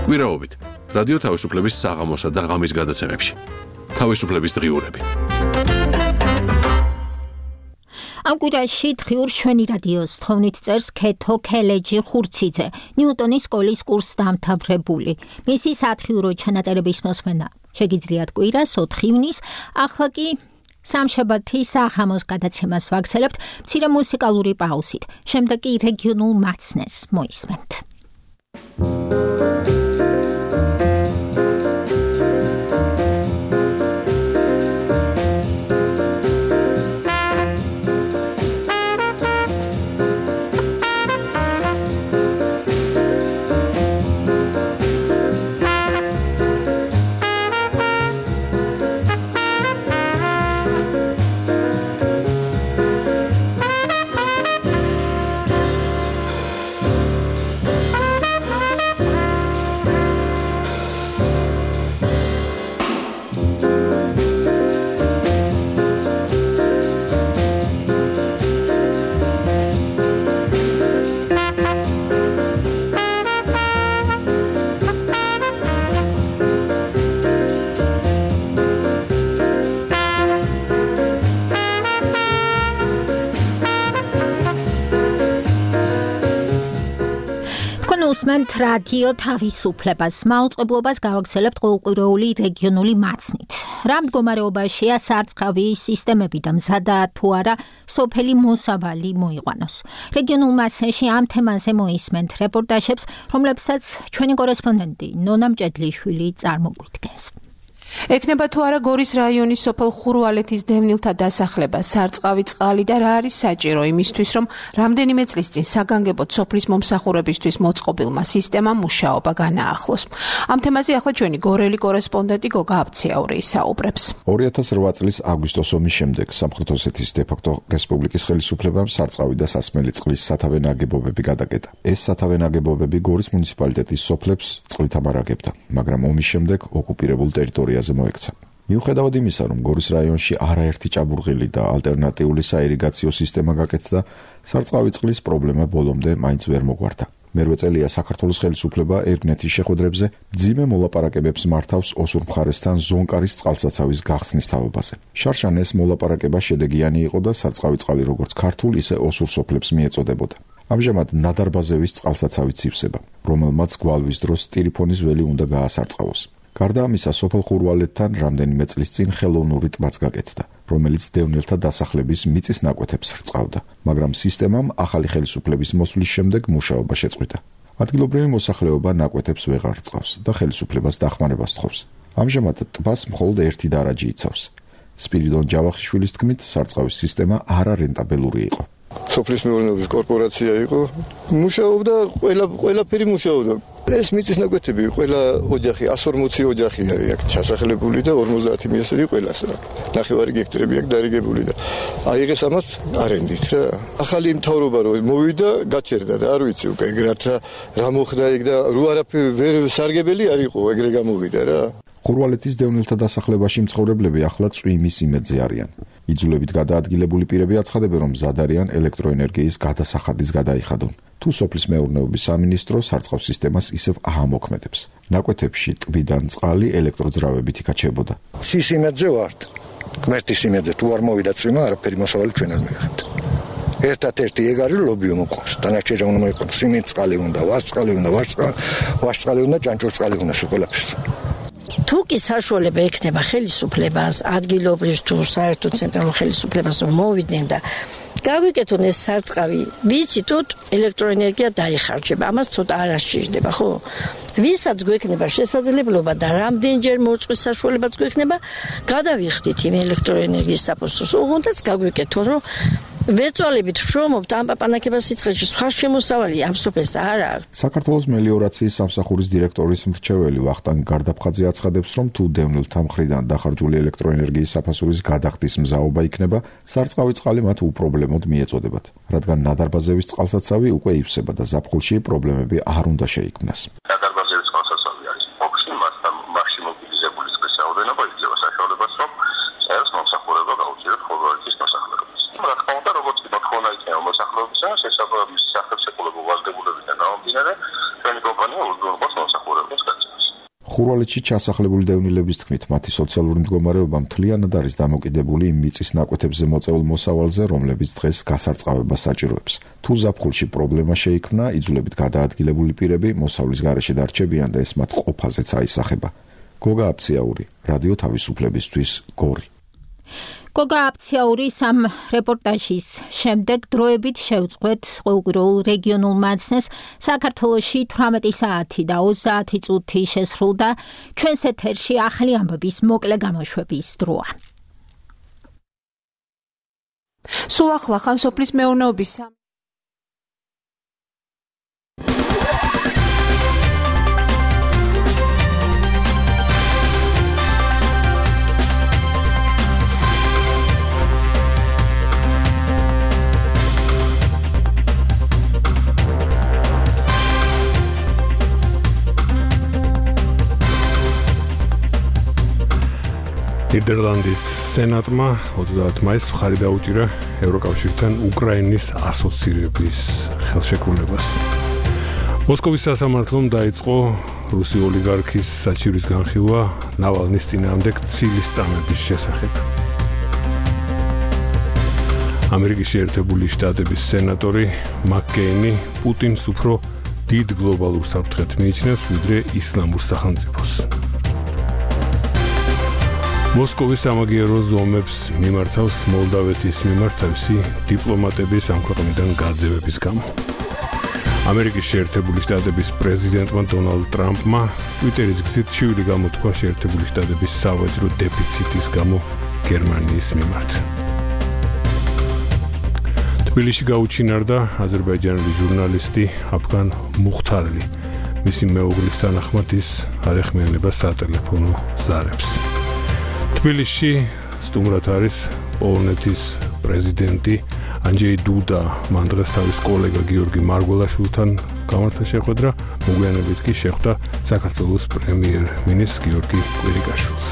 გვირაობით რადიო თავისუფლების საღამოსა და ღამის გადაცემებში. თავისუფლების დღიურები.
ამ კვირაში დღიურ ჩვენი რადიოს თოვნით წერს ქეთო ქელეჯი ხურციძე, ნიუტონის სკოლის კურსს დამთავრებული. მისი სათხიურო ჩანაწერების მოსმენა შეგიძლიათ კვირას 4 ივნის, ახლა კი სამშაბათის საღამოს გადაცემას ვაგრძელებთ მცირე მუსიკალური პაუზით. შემდეგ კი რეგიონულ მაცნეს მოისმენთ. უსმენთ რადიო თავისუფლებას. მაუწყებლობას გავაგრძელებთ ყოველკვირეული რეგიონული მაცნით. რა მდგომარეობაშია სარწყავი სისტემები და მზადაა თუ არა სოფელი მოსავალი მოიყვანოს. რეგიონულ მაცნეში ამ თემაზე მოისმენთ რეპორტაჟებს, რომლებსაც ჩვენი კორესპონდენტი ნონა მჭედლიშვილი წარმოგვიდგენს.
ეკნება თუ არა გორის რაიონის სოფელ ხურვალეთის დევნილთა დასახლება, სარწყავი წყალი და რა არის საჭირო იმისთვის, რომ რამდენიმე წლის წინ საგანგებოდ სოფლის მომსახურებისთვის მოწყობილმა სისტემამ მუშაობა განაახლოს. ამ თემაზე ახლა ჩვენი გორელი კორესპონდენტი გოგა აბციაური ისაუბრებს.
2008 წლის აგვისტოს ომის შემდეგ სამხრეთ ოსეთის დე-ფაქტო რესპუბლიკის ხელისუფლებამ სარწყავი და სასმელი წყლის სათავე ნაგებობები გადაკეტა. ეს სათავე ნაგებობები გორის მუნიციპალიტეტის სოფლებს წყლით ამარაგებდა, მაგრამ ომის შემდეგ ოკუპირებულ ტერიტორიაზე მოექცა. მიუხედავად იმისა, რომ გორის რაიონში არაერთი ჭაბურღილი და ალტერნატიული საირიგაციო სისტემა გაკეთდა, სარწყავი წყლის პრობლემა ბოლომდე მაინც ვერ მოგვარდა. მერვე წელია საქართველოს ხელისუფლება ერგნეთის შეხვედრებზე მძიმე მოლაპარაკებებს მართავს ოსურ მხარესთან ზონკარის წყალსაცავის გახსნის თაობაზე. შარშან ეს მოლაპარაკება შედეგიანი იყო და სარწყავი წყალი როგორც ქართულ, ისე ოსურ სოფლებს მიეწოდებოდა. ამჟამად ნადარბაზევის წყალსაცავით ივსება, რომელმაც გვალვის დროს ტირიფონის ველი უნდა გაასარწყავოს. გარდა ამისა, სოფელ ხურვალეთთან რამდენიმე წლის წინ ხელოვნური ტბაც გაკეთდა, რომელიც დევნილთა დასახლების მიწის ნაკვეთებს რწყავდა, მაგრამ სისტემამ ახალი ხელისუფლების მოსვლის შემდეგ მუშაობა შეწყვიტა. ადგილობრივი მოსახლეობა ნაკვეთებს ვეღარ რწყავს და ხელისუფლებას დახმარებას თხოვს. ამჟამად ტბას მხოლოდ ერთი დარაჯი იცავს. სპირიდონ ჯავახიშვილის თქმით, სარწყავის სისტემა არარენტაბელური იყო.
სოფლის მეურნეობის კორპორაცია იყო, მუშაობდა ყველაფერი მუშაობდა. ეს მიწის ნაკვეთები ყველა ოჯახი 140 ოჯახი არის აქ ჩასახლებული და 50 მიესწრები ყველასა. ნახევარი გექტრები აქ დარიგებული და აიღეს ამას არენდით რა. ახალი მთავრობა რო მოვიდა, გაჩერდა და არ ვიცი უკვე რა მოხდა იქ და რო არაფერი ვერ სარგებელი არ იყო, ეგრე გამოვიდა რა.
ხურვალეთის დევნილთა დასახლებაში მცხოვრებლები ახლა წვიმის იმედზე არიან. იძულებით გადაადგილებული პირები აცხადებენ, რომ მზად არიან ელექტროენერგიის გადასახადის გადაიხადონ. თუ სოფლის მეურნეობის სამინისტრო სარწყავ სისტემას ისევ აამოქმედებს. ნაკვეთებში ტბიდან წყალი ელექტროძრავებით იკაჩებოდა.
ცის იმედზე ვართ. ღმერთის იმედზე თუ არ მოვიდა წვიმა, არაფერი მოსავალი ჩვენ არ მივიღებთ. ერთად-ერთი ეგ არის ლობიო მოყვავს. დანარჩენი უნდა მოიყოს სიმინტ წყალი უნდა, ვარსწყალი უნდა, ვარსწყალი უნდა, ჭანჭურწყალი უნდა ყველაფერს.
თუ კი საშუალება ექნება ხელისუფლებას, ადგილობრივ თუ საერთო ცენტრალურ ხელისუფლებას მოვიდნენ და გავიკეთონ ეს სარწყავი, ვიცით, ელექტროენერგია დაიხარჯება, ამას ცოტა არ ასჭირდება, ხო? ვისაც გვექნება შესაძლებლობა და რამდენჯერ მოწყვის საშუალებაც გვექნება, გადავიხდით იმ ელექტროენერგიის საფოსტოს, უღონდაც გაგვიკეთონ, რომ ვეწვალებით შრომობთ ამ პაპანაკებას სიცხეში, სხვა შემოსავალი ამ სოფელს არ აქვს.
საქართველოს მელიორაციის სამსახურის დირექტორის მრჩეველი ვახტანგ გარდაფხაძე აცხადებს, რომ თუ დევნილთა მხრიდან დახარჯული ელექტროენერგიის საფასურის გადახდის მზაობა იქნება, სარწყავი წყალი მათ უპრობლემოდ მიეწოდებათ, რადგან ნადარბაზევის წყალსაცავი უკვე ივსება და ზაფხულში პრობლემები არ უნდა შეიქმნას.
ნადარბაზევის წყალსაცავი არის ოფში, მასთან მასში მობილიზებული წყლის რაოდენობა იძლევა საშუალებას, რომ
ხურვალეთში ჩასახლებული დევნილების თქმით, მათი სოციალური მდგომარეობა მთლიანად არის დამოკიდებული იმ მიწის ნაკვეთებზე მოწეულ მოსავალზე, რომლებიც დღეს გასარწყავებას საჭიროებს. თუ ზაფხულში პრობლემა შეიქმნა, იძულებით გადაადგილებული პირები მოსავლის გარეშე დარჩებიან და ეს მათ ყოფაზეც აისახება. გოგა აფციაური, რადიო თავისუფლებისთვის, გორი.
გოგა აფციაურის ამ რეპორტაჟის შემდეგ დროებით შევწყვეთ ყოველკვირეულ რეგიონულ მაცნეს საქართველოში 18 საათი და 30 წუთი შესრულდა ჩვენს ეთერში ახალი ამბების მოკლე გამოშვების დროა.
სულ ახლა ხან სოფლის მეურნეობის
ნიდერლანდის სენატმა 30 მაისს მხარი დაუჭირა ევროკავშირთან უკრაინის ასოცირების ხელშეკრულებას. მოსკოვის სასამართლომ დაიწყო რუსი ოლიგარქის საჩივრის განხილვა ნავალნის წინააღმდეგ ცილის წამების შესახებ. ამერიკის შეერთებული შტატების სენატორი მაკკეინი პუტინს უფრო დიდ გლობალურ საფრთხედ მიიჩნევს, ვიდრე ისლამურ სახელმწიფოს. მოსკოვის სამაგიერო ზომებს მიმართავს მოლდავეთის მიმართ თავისი დიპლომატების ამ ქვეყნიდან გაძევების გამო. ამერიკის შეერთებული შტატების პრეზიდენტმა დონალდ ტრამპმა ტვიტერის გზით ჩივილი გამოთქვა შეერთებული შტატების სავაჭრო დეფიციტის გამო გერმანიის მიმართ. თბილისში გაუჩინარდა აზერბაიჯანელი ჟურნალისტი აფგან მუხთარლი. მისი მეუღლის თანახმად ის არ ეხმიანება სატელეფონო ზარებს. თბილისში სტუმრად არის პოლონეთის პრეზიდენტი ანჯეი დუდა. მან დღეს თავის კოლეგა გიორგი მარგველაშვილთან გამართა შეხვედრა, მოგვიანებით კი შეხვდა საქართველოს პრემიერ-მინისტრს გიორგი კვირიკაშვილს.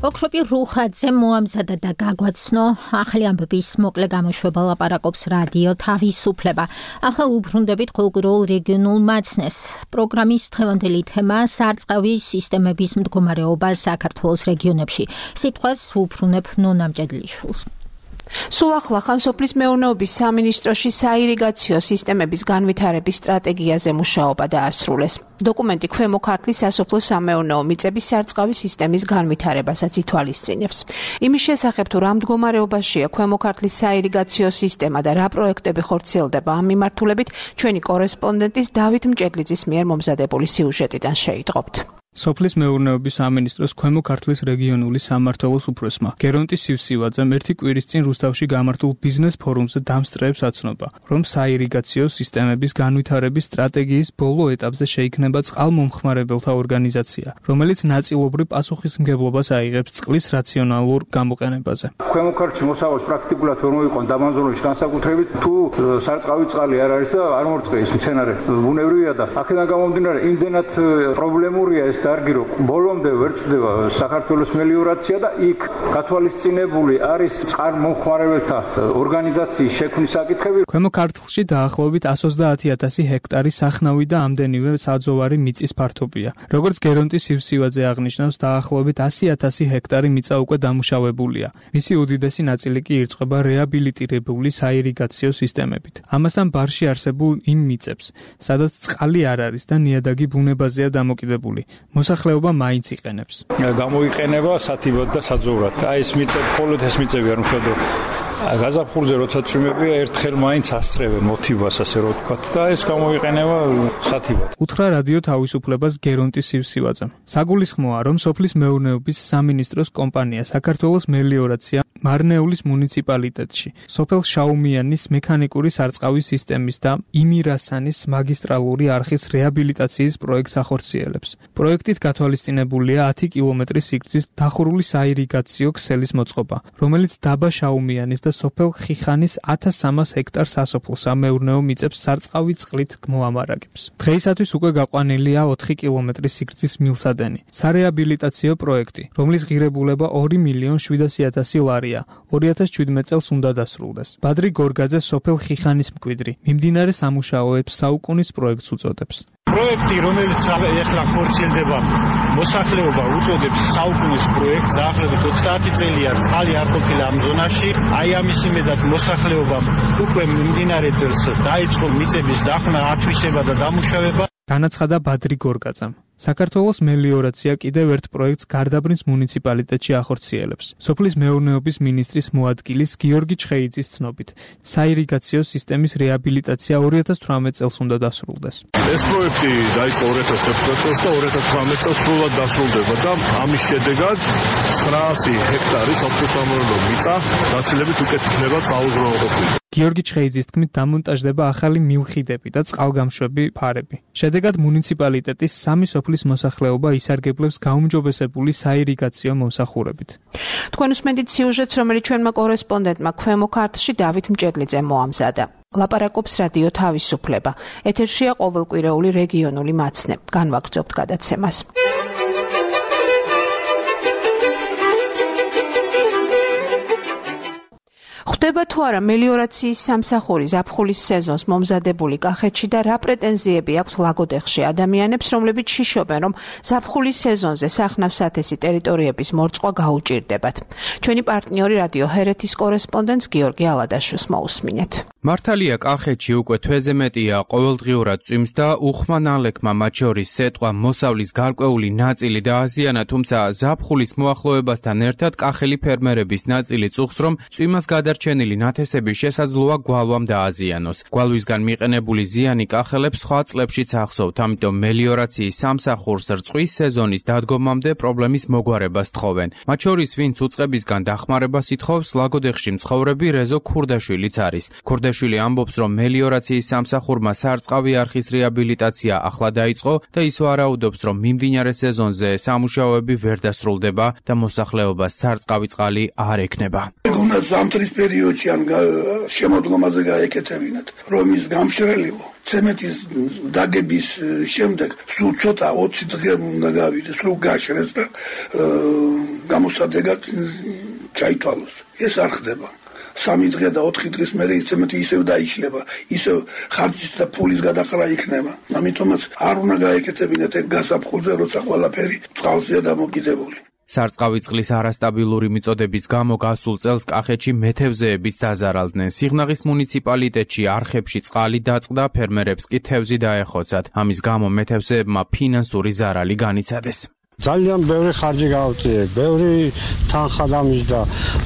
ოქროპი რუხაძე მოამზადა და გაგვაცნო ახალი ამბების მოკლე გამოშვება ლაპარაკობს რადიო თავისუფლება. ახლა უბრუნდებით ყოველკვირეულ რეგიონულ მაცნეს. პროგრამის დღევანდელი თემა სარწყავი სისტემების მდგომარეობა საქართველოს რეგიონებში. სიტყვას უბრუნებ ნონა მჭედლიშვილს.
სულ ახლა ხან სოფლის მეურნეობის სამინისტროში საირიგაციო სისტემების განვითარების სტრატეგიაზე მუშაობა დაასრულეს. დოკუმენტი ქვემო ქართლის სასოფლო სამეურნეო მიწების სარწყავი სისტემის განვითარებასაც ითვალისწინებს. იმის შესახებ თუ რა მდგომარეობაშია ქვემო ქართლის საირიგაციო სისტემა და რა პროექტები ხორციელდება ამ მიმართულებით, ჩვენი კორესპონდენტის დავით მჭედლიძის მიერ მომზადებული სიუჟეტიდან შეიტყობთ.
სოფლის მეურნეობის სამინისტროს ქვემო ქართლის რეგიონული სამმართველოს უფროსმა გერონტი სივსივაძემ ერთი კვირის წინ რუსთავში გამართულ ბიზნეს ფორუმზე დამსწრეებს აცნობა, რომ საირიგაციო სისტემების განვითარების სტრატეგიის ბოლო ეტაპზე შეიქმნება წყალმომხმარებელთა ორგანიზაცია, რომელიც ნაწილობრივ პასუხისმგებლობას აიღებს წყლის რაციონალურ გამოყენებაზე.
ქვემო ქართლში მოსავალს პრაქტიკულად ვერ მოიყვან დამანზურების განსაკუთრებით, თუ სარწყავი წყალი არ არის და არ მორწყე ის მცენარე ბუნებრივია და აქედან გამომდინარე იმდენად პრობლემურია ეს დარგი, რომ ბოლომდე ვერ წდება საქართველოს მელიორაცია და იქ გათვალისწინებული არის წყალმომხმარებელთა ორგანიზაციის შექმნის საკითხები.
ქვემო ქართლში დაახლოებით 130,000 ჰექტარი სახნავი და ამდენივე საძოვარი მიწის ფართობია. როგორც გერონტი სივსივაძე აღნიშნავს, დაახლოებით 100,000 ჰექტარი მიწა უკვე დამუშავებულია. მისი უდიდესი ნაწილი კი ირწყვება რეაბილიტირებული საირიგაციო სისტემებით. ამასთან ბარში არსებულ იმ მიწებს, სადაც წყალი არ არის და ნიადაგი ბუნებაზეა დამოკიდებული. მოსახლეობა მაინც იყენებს.
გამოიყენება სათიბად და საძოვრად. აი ეს მიწები, მხოლოდ ეს მიწები არ მუშავდა. გაზაფხულზე როცა წვიმებია, ერთხელ მაინც ასწრებენ მოთიბას, ასე რომ ვთქვათ, და ეს გამოიყენება სათიბად.
უთხრა რადიო თავისუფლებას გერონტი სივსივაძემ. საგულისხმოა, რომ სოფლის მეურნეობის სამინისტროს კომპანია საქართველოს მელიორაცია მარნეულის მუნიციპალიტეტში სოფელ შაუმიანის მექანიკური სარწყავის სისტემის და იმირასანის მაგისტრალური არხის რეაბილიტაციის პროექტს ახორციელებს. პროექტით გათვალისწინებულია 10 კილომეტრის სიგრძის დახურული საირიგაციო ქსელის მოწყობა, რომელიც დაბა შაუმიანის და სოფელ ხიხანის 1300 ჰექტარ სასოფლო სამეურნეო მიწებს სარწყავი წყლით მოამარაგებს. დღეისათვის უკვე გაყვანილია 4 კილომეტრის სიგრძის მილსადენი. სარეაბილიტაციო პროექტი, რომლის ღირებულება 2.700.000 ლარია, 2017 წელს უნდა დასრულდეს. ბადრი გორგაძე სოფელ ხიხანის მკვიდრი, მიმდინარე სამუშაოებს საუკუნის პროექტს უწოდებს.
პროექტი, რომელიც ეხლა ხორციელდება, მოსახლეობა უწოდებს საუკუნის პროექტს, დაახლოებით 30 წელია წყალი არ ყოფილა ამ ზონაში. აი ამის იმედად მოსახლეობამ უკვე მიმდინარე წელს დაიწყო მიწების დახმნა, ათვისება და დამუშავება.
განაცხადა ბადრი გორგაძემ. საქართველოს მელიორაცია კიდევ ერთ პროექტს გარდაბნის მუნიციპალიტეტში ახორციელებს. სოფლის მეურნეობის მინისტრის მოადგილის გიორგი ჩხეიძის ცნობით, საირიგაციო სისტემის რეაბილიტაცია 2018 წელს უნდა დასრულდეს.
ეს პროექტი დაიწყო 2016 წელს და 2018 წელს სრულად დასრულდება და ამის შედეგად 900 ჰექტარი სასოფლო-სამეურნეო მიწა გაცილებით უკეთ იქნება საუზრუნველყოფილი.
გიორგი ჩხეიძის თქმით, დამონტაჟდება ახალი მილხიდები და წყალგამშვები ფარები. შედეგად მუნიციპალიტეტის 3 სოფლის მოსახლეობა ისარგებლებს გაუმჯობესებული საირიგაციო მომსახურებით.
თქვენ უსმენთ სიუჟეტს, რომელიც ჩვენმა კორესპონდენტმა ქვემო ქართლში დავით მჭედლიძემ მოამზადა. ლაპარაკობს რადიო თავისუფლება. ეთერშია ყოველკვირეული რეგიონული მაცნე. განვაგრძობთ გადაცემას. ხდება თუ არა მელიორაციის სამსახური ზაფხულის სეზონს მომზადებული კახეთში და რა პრეტენზიები აქვთ ლაგოდეხში ადამიანებს, რომლებიც შიშობენ, რომ ზაფხულის სეზონზე სახნავ-სათესი ტერიტორიების მორწყვა გაუჭირდებათ. ჩვენი პარტნიორი რადიო ჰერეთის კორესპონდენტს გიორგი ალადაშვილს მოусმინეთ.
მართალია კახეთში უკვე თვეზე მეტია ყოველდღიურად წვიმს და უხმა ნალექმა მათ შორის სეტყვა მოსავლის გარკვეული ნაწილი დააზიანა, თუმცა ზაფხულის მოახლოებასთან ერთად კახელი ფერმერების ნაწილი წუხს, რომ წვიმას გადარჩენილი ნათესები შესაძლოა გვალვამ დააზიანოს. გვალვისგან მიყენებული ზიანი კახელებს სხვა წლებშიც ახსოვთ, ამიტომ მელიორაციის სამსახურს რწყვის სეზონის დადგომამდე პრობლემის მოგვარებას თხოვენ. მათ შორის ვინც უწყებისგან დახმარებას ითხოვს, ლაგოდეხში მცხოვრები რეზო ქურდაშვილიც არის. ქურდაშვილი ამბობს, რომ მელიორაციის სამსახურმა სარწყავი არხის რეაბილიტაცია ახლა დაიწყო და ის ვარაუდობს, რომ მიმდინარე სეზონზე სამუშაოები ვერ დასრულდება და მოსახლეობას სარწყავი წყალი არ ექნება.
უნდა ზამთრის პერიოდში ან შემოდგომაზე გაეკეთებინათ, რომ ის გამშრალიყო. ცემენტის დაგების შემდეგ სულ ცოტა 20 დღე უნდა გავიდეს, რომ გაშრეს და გამოსადეგად ჩაითვალოს. ეს არ ხდება. 3 დღე და 4 დღის მერე ის ცემენტი ისევ დაიშლება, ისევ ხარჯის და ფულის გადახრა იქნება. ამიტომაც არ უნდა გაეკეთებინათ ეგ გასაფხულზე, როცა ყველაფერი წყალზეა დამოკიდებული.
სარწყავი წყლის არასტაბილური მიწოდების გამო გასულ წელს კახეთში მეთევზეებიც დაზარალდნენ. სიღნაღის მუნიციპალიტეტში არხებში წყალი დაწყდა, ფერმერებს კი თევზი დაეხოცათ. ამის გამო მეთევზეებმა ფინანსური ზარალი განიცადეს.
ძალიან ბევრი ხარჯი გავწიე, ბევრი თანხა დამიჯდა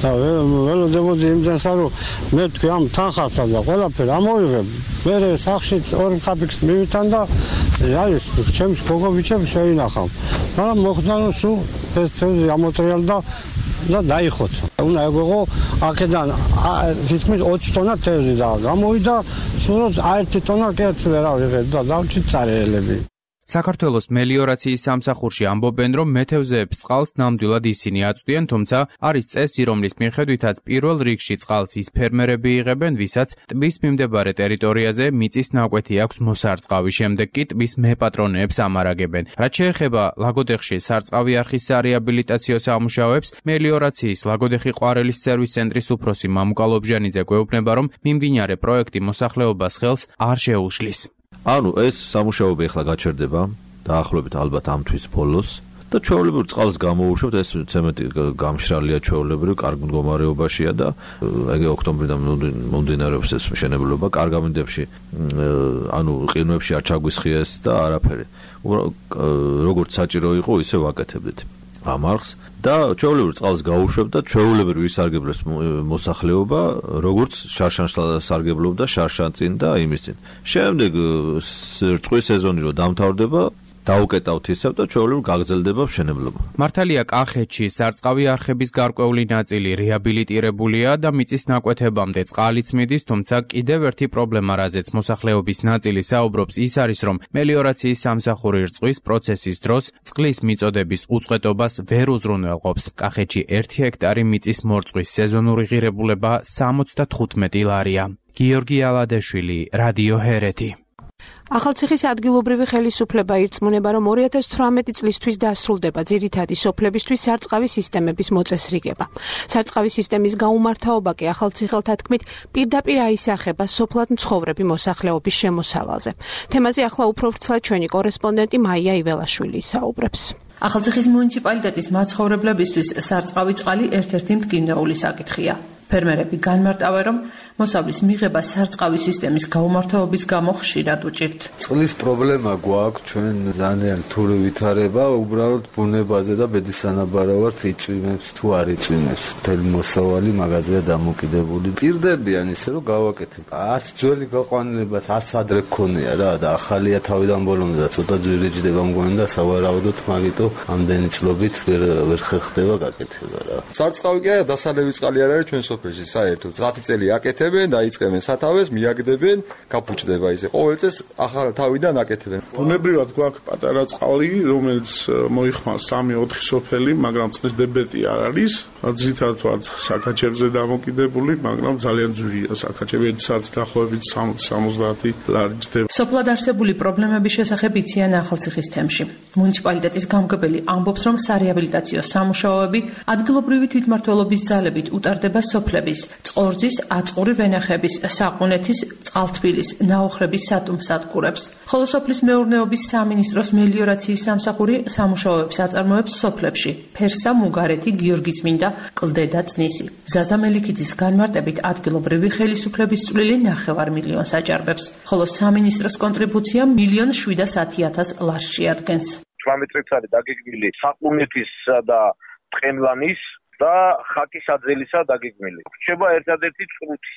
და ველოდებოდი იმდენსა, რომ მე თქვი ამ თანხასა და ყველაფერი ამოვიღებ. მე სახში 2 კაპიკს მივითან და არის ჩემს გოგობიჩებს შეინახავ. მაგრამ მოხდა რომ სულ ეს თევზი ამოტრიალდა და დაიხოცა. უნდა ეგოღო აქედან თითქმის 20 ტონა თევზი და გამოვიდა, სულ 1 ტონა კეც ვერ ავიღეთ და დავჭით წარეელები.
საქართველოს მელიორაციის სამსახურში ამბობენ, რომ მეთევზეებს წყალს ნამდვილად ისინი აწვდიან, თუმცა არის წესი, რომლის მიხედვითაც პირველ რიგში წყალს ის ფერმერები იღებენ, ვისაც ტბის მიმდებარე ტერიტორიაზე მიწის ნაკვეთი აქვს მოსარწყავი, შემდეგ კი ტბის მეპატრონეებს ამარაგებენ. რაც შეეხება ლაგოდეხში სარწყავი არხის სარეაბილიტაციო სამუშაოებს, მელიორაციის ლაგოდეხი ყვარელის სერვის ცენტრის უფროსი მამუკა ლობჟანიძე გვეუბნება, რომ მიმდინარე პროექტი მოსახლეობას ხელს არ შეუშლის.
ანუ ეს სამუშაოები ახლა გაჩერდება დაახლოებით ალბათ ამ თვის ბოლოს და ჩვეულებრივ წყალს გამოუშვებთ, ეს ცემენტი გამშრალია ჩვეულებრივ, კარგ მდგომარეობაშია და ეგ ოქტომბრიდან მომდინარეობს ეს მშენებლობა, კარგ ამინდებში ანუ ყინვებში არ ჩაგვისხია ეს და არაფერი. როგორც საჭირო იყო, ისე ვაკეთებდით ამ არხს და ჩვეულებრივ წყალს გაუშვებთ და ჩვეულებრივ ისარგებლებს მოსახლეობა, როგორც შარშანს სარგებლობდა შარშან წინ და იმის წინ. შემდეგ რწყვის სეზონი რო დამთავრდება, დაუკეტავთ ისევ და ჩვეულებრივ გაგრძელდება მშენებლობა.
მართალია კახეთში სარწყავი არხების გარკვეული ნაწილი რეაბილიტირებულია და მიწის ნაკვეთებამდე წყალიც მიდის, თუმცა კიდევ ერთი პრობლემა, რაზეც მოსახლეობის ნაწილი საუბრობს, ის არის, რომ მელიორაციის სამსახური რწყვის პროცესის დროს წყლის მიწოდების უწყვეტობას ვერ უზრუნველყოფს. კახეთში 1 ჰექტარი მიწის მორწყვის სეზონური ღირებულება 75 ლარია. გიორგი ალადეშვილი, რადიო ჰერეთი.
ახალციხის ადგილობრივი ხელისუფლება ირწმუნება, რომ 2018 წლისთვის დასრულდება ძირითადი სოფლებისთვის სარწყავი სისტემების მოწესრიგება. სარწყავი სისტემის გაუმართავობა კი ახალციხელთა თქმით პირდაპირ აისახება სოფლად მცხოვრები მოსახლეობის შემოსავალზე. თემაზე ახლა უფრო ვრცლად ჩვენი კორესპონდენტი მაია იველაშვილი საუბრებს.
ახალციხის მუნიციპალიტეტის მაცხოვრებლებისთვის სარწყავი წყალი ერთ-ერთი მტკივნეული საკითხია. ფერმერები განმარტავენ, რომ მოსავლის მიღება სარწყავი სისტემის გაუმართავობის გამო ხშირად უჭირთ.
წყლის პრობლემა გვაქვს, ჩვენ ძალიან რთული ვითარება, უბრალოდ ბუნებაზე და ბედის სანაბარავად იწვიმებს თუ არ იწვიმებს. მთელი მოსავალი მაგაზეა დამოკიდებული. პირდებიან ისე რომ გავაკეთებ. არც ძველი გაყვანილებას არც ადრე გქონია რა და ახალია თავიდან ბოლომდე და ცოტა ძვირიჯდება მგონი და სავარაუდოდ მაგიტო ამდენი წლობით ვერ ხერხდება გაკეთება რა.
სარწყავი კი არა დასალევი წყალი არ არის ჩვენ სოფელში საერთოდ. 10 წელი აკეთებენ, დაიწყებენ სათავეს, მიაგდებენ, გაფუჭდება ისე. ყოველ წელს ახალ თავიდან აკეთებენ.
ბუნებრივად გვაქვს პატარა წყალი, რომელიც მოიხმარს 3-4 სოფელი, მაგრამ წყლის დებეტი არ არის. ძირითადად ვართ საკაჩებზე დამოკიდებული, მაგრამ ძალიან ძვირია საკაჩები, ერთსაც დაახლოებით 60-70 ლარი ჯდება.
სოფლად არსებული პრობლემების შესახებ იციან ახალციხის თემში. მუნიციპალიტეტის გამგებელი ამბობს, რომ სარეაბილიტაციო სამუშაოები ადგილობრივი თვითმმართველობის ძალებით უტარდება სოფლების, წყორძის, აწყური ვენახების, საყუნეთის, წყალთბილის, ნაოხრების სატუმსატკურებს. ხოლო სოფლის მეურნეობის სამინისტროს მელიორაციის სამსახური სამუშაოებს აწარმოებს სოფლებში: ფერსა, მუგარეთი, გიორგიწმინდა, კლდე და წნისი. ზაზა მელიქიძის განმარტებით ადგილობრივი ხელისუფლების წვლილი 9 მილიონს აჭარბებს, ხოლო სამინისტროს კონტრიბუცია 1,710,000 ლარს შეადგენს.
18 წელს არის დაგეგმილი საყუნეთისა და ტყემლანის და ხაკის აძელისა დაგეგმილი. რჩება ერთადერთი წრუთი.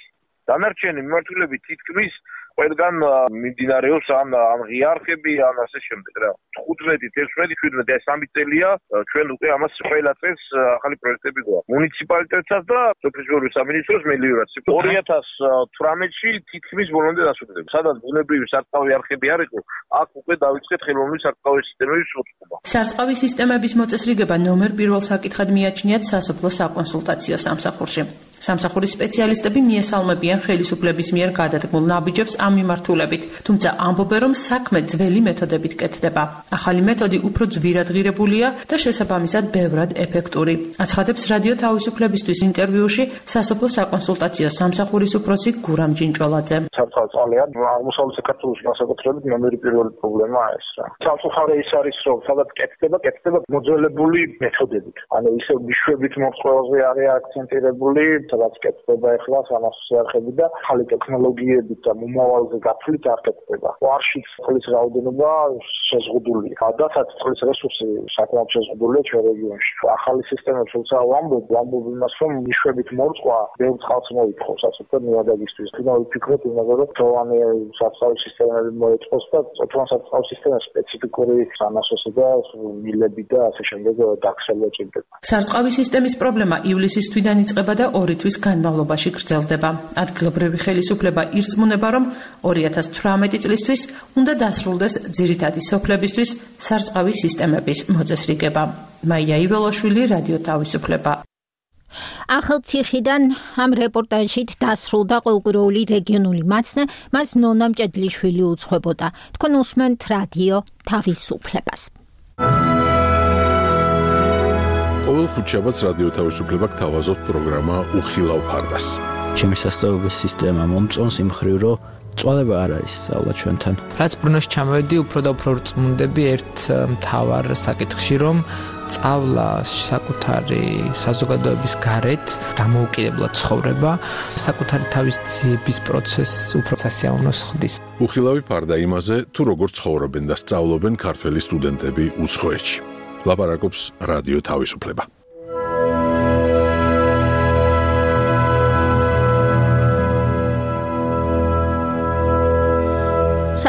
დანარჩენი მიმართულებით თითქმის ყველგან მიმდინარეობს ამ ღიარხები, ამ ასე შემდეგ რა. 15, 16, 17 ეს 3 წელია ჩვენ უკვე ამას ყველა წელს ახალი პროექტები გვაქვს. მუნიციპალიტეტსაც და სოფლის სამინისტროს მელიორაციას 2018-ში თითქმის ბოლომდე დასრულდება. სადაც ბუნებრივი სარწყავი არხები არ იყო, აქ უკვე დავიწყეთ ხელოვნური სარწყავი სისტემების მოწყობა.
სარწყავი სისტემების მოწესრიგება ნომერ 1 საკითხად მიაჩნიათ სასოფლო საკონსულტაციო სამსახურში. სამსახურის სპეციალისტები მიესალმებიან ხელისუფლების მიერ გადადგმულ ნაბიჯებს ამ მიმართულებით, თუმცა ამბობენ, რომ საქმე ძველი მეთოდებით კეთდება. ახალი მეთოდი უფრო ძვირადღირებულია და შესაბამისად ბევრად ეფექტური. აცხადებს რადიო თავისუფლებისთვის ინტერვიუში სასოფლო საკონსულტაციო სამსახურის უფროსი გურამ ჯინჭოლაძე.
სარწყავი წყალი აღმოსავლეთ საქართველოში განსაკუთრებით ნომერი 1 პრობლემაა ეს რა. სამწუხაროდ ის არის, რომ სადაც კეთდება მოძველებული მეთოდებით. ანუ ისე მიშვებით მოწყობაზე არის აქცენტირებული, სადაც კეთდება ახლა სამასო არხები და ახალი ტექნოლოგიებით და მომავალზე გაფრთხილებით არ კეთდება. ვარშიც წყლის რაოდენობა შეზღუდულია. გადაცაც წყლის რესურსი საკმაოდ შეზღუდულია ჩვენ რეგიონში. ახალი სისტემები თუმცა ვამბობ იმას, რომ მიშვებით მორწყვა ბევრ წყალს მოითხოვს, ასე რომ ნიადაგისთვის. თუნდაც ვფიქრობ იმაზე, რომ თოვანი სარწყავი სისტემები მოეწყოს და თოვანი სარწყავი სისტემის სპეციფიკური სამასოსი და მილები და ასე შემდეგ დაქცევა ჭირდება.
სარწყავი სისტემის პრობლემა ივლისის თვიდან იწყება და 2 თვის განმავლობაში გრძელდება. ადგილობრივი ხელისუფლება ირწმუნება, რომ 2018 წლისთვის უნდა დასრულდეს ძირითადი სოფლებისთვის სარწყავი სისტემების მოწესრიგება. მაია იველაშვილი, რადიო თავისუფლება.
ახალციხიდან ამ რეპორტაჟით დასრულდა ყოველკვირეული რეგიონული მაცნე, მას ნონა მჭედლიშვილი უძღვებოდა. თქვენ უსმენთ რადიო თავისუფლებას.
ყოველ ხუთშაბათს რადიო თავისუფლება გთავაზობთ პროგრამა უხილავ ფარდას.
ჩემი სასწავლებელი სისტემა მომწონს იმ მხრივ, რომ წვალება არ არის სწავლა ჩვენთან.
რაც ბრუნოში ჩამოვედი, უფრო და უფრო რწმუნდები ერთ მთავარ საკითხში, რომ სწავლა საკუთარი საზოგადოების გარეთ დამოუკიდებლად ცხოვრება, საკუთარი თავის ძიების პროცესს უფრო სასიამოვნოს ხდის.
უხილავი ფარდა იმაზე, თუ როგორ ცხოვრობენ და სწავლობენ ქართველი სტუდენტები უცხოეთში. ლაპარაკობს რადიო თავისუფლება.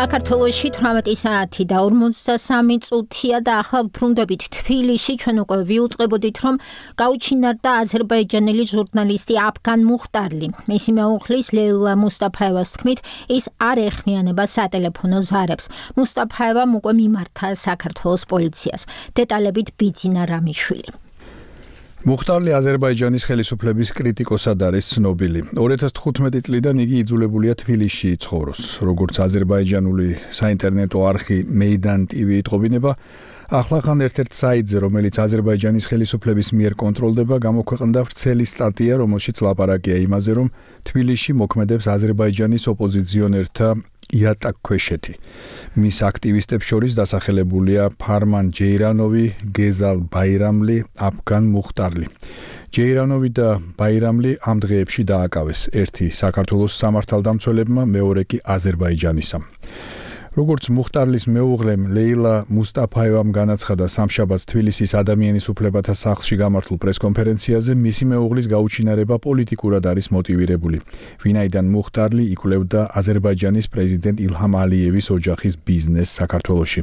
საქართველოში 18 საათი და 53 წუთია და ახლა ვბრუნდებით თბილისში. ჩვენ უკვე ვიუწყებოდით, რომ გაუჩინარდა აზერბაიჯანელი ჟურნალისტი აფგან მუხტარლი. მისი მეუღლის ლეილა მუსტაფაევას თქმით, ის არ ეხმიანება სატელეფონო ზარებს. მუსტაფაევამ უკვე მიმართა საქართველოს პოლიციას. დეტალებით ბიძინა რამიშვილი.
მუხტარლი აზერბაიჯანის ხელისუფლების კრიტიკოსად არის ცნობილი. 2015 წლიდან იგი იძულებულია თბილისში ცხოვროს. როგორც აზერბაიჯანული საინტერნეტო არხი Meydan TV იტყობინება, ახლახან ერთ-ერთ საიტზე, რომელიც აზერბაიჯანის ხელისუფლების მიერ კონტროლდება, გამოქვეყნდა ვრცელი სტატია, რომელშიც ლაპარაკია იმაზე, რომ თბილისში მოქმედებს აზერბაიჯანის ოპოზიციონერთა იატაკქვეშეთი. მის აქტივისტებს შორის დასახელებულია ფარმან ჯეირანოვი, გეზალ ბაირამლი, აფგან მუხტარლი. ჯეირანოვი და ბაირამლი ამ დღეებში დააკავეს. ერთი საქართველოს სამართალდამცველებმა, მეორე კი აზერბაიჯანისამ. როგორც მუხტარლის მეუღლემ ლეილა მუსტაფაევამ განაცხადა სამშაბათს თბილისის ადამიანის უფლებათა სახლში გამართულ პრესკონფერენციაზე, მისი მეუღლის გაუჩინარება პოლიტიკურად არის მოტივირებული. ვინაიდან მუხტარლი იკვლევდა აზერბაიჯანის პრეზიდენტ ილჰამ ალიევის ოჯახის ბიზნესს საქართველოში.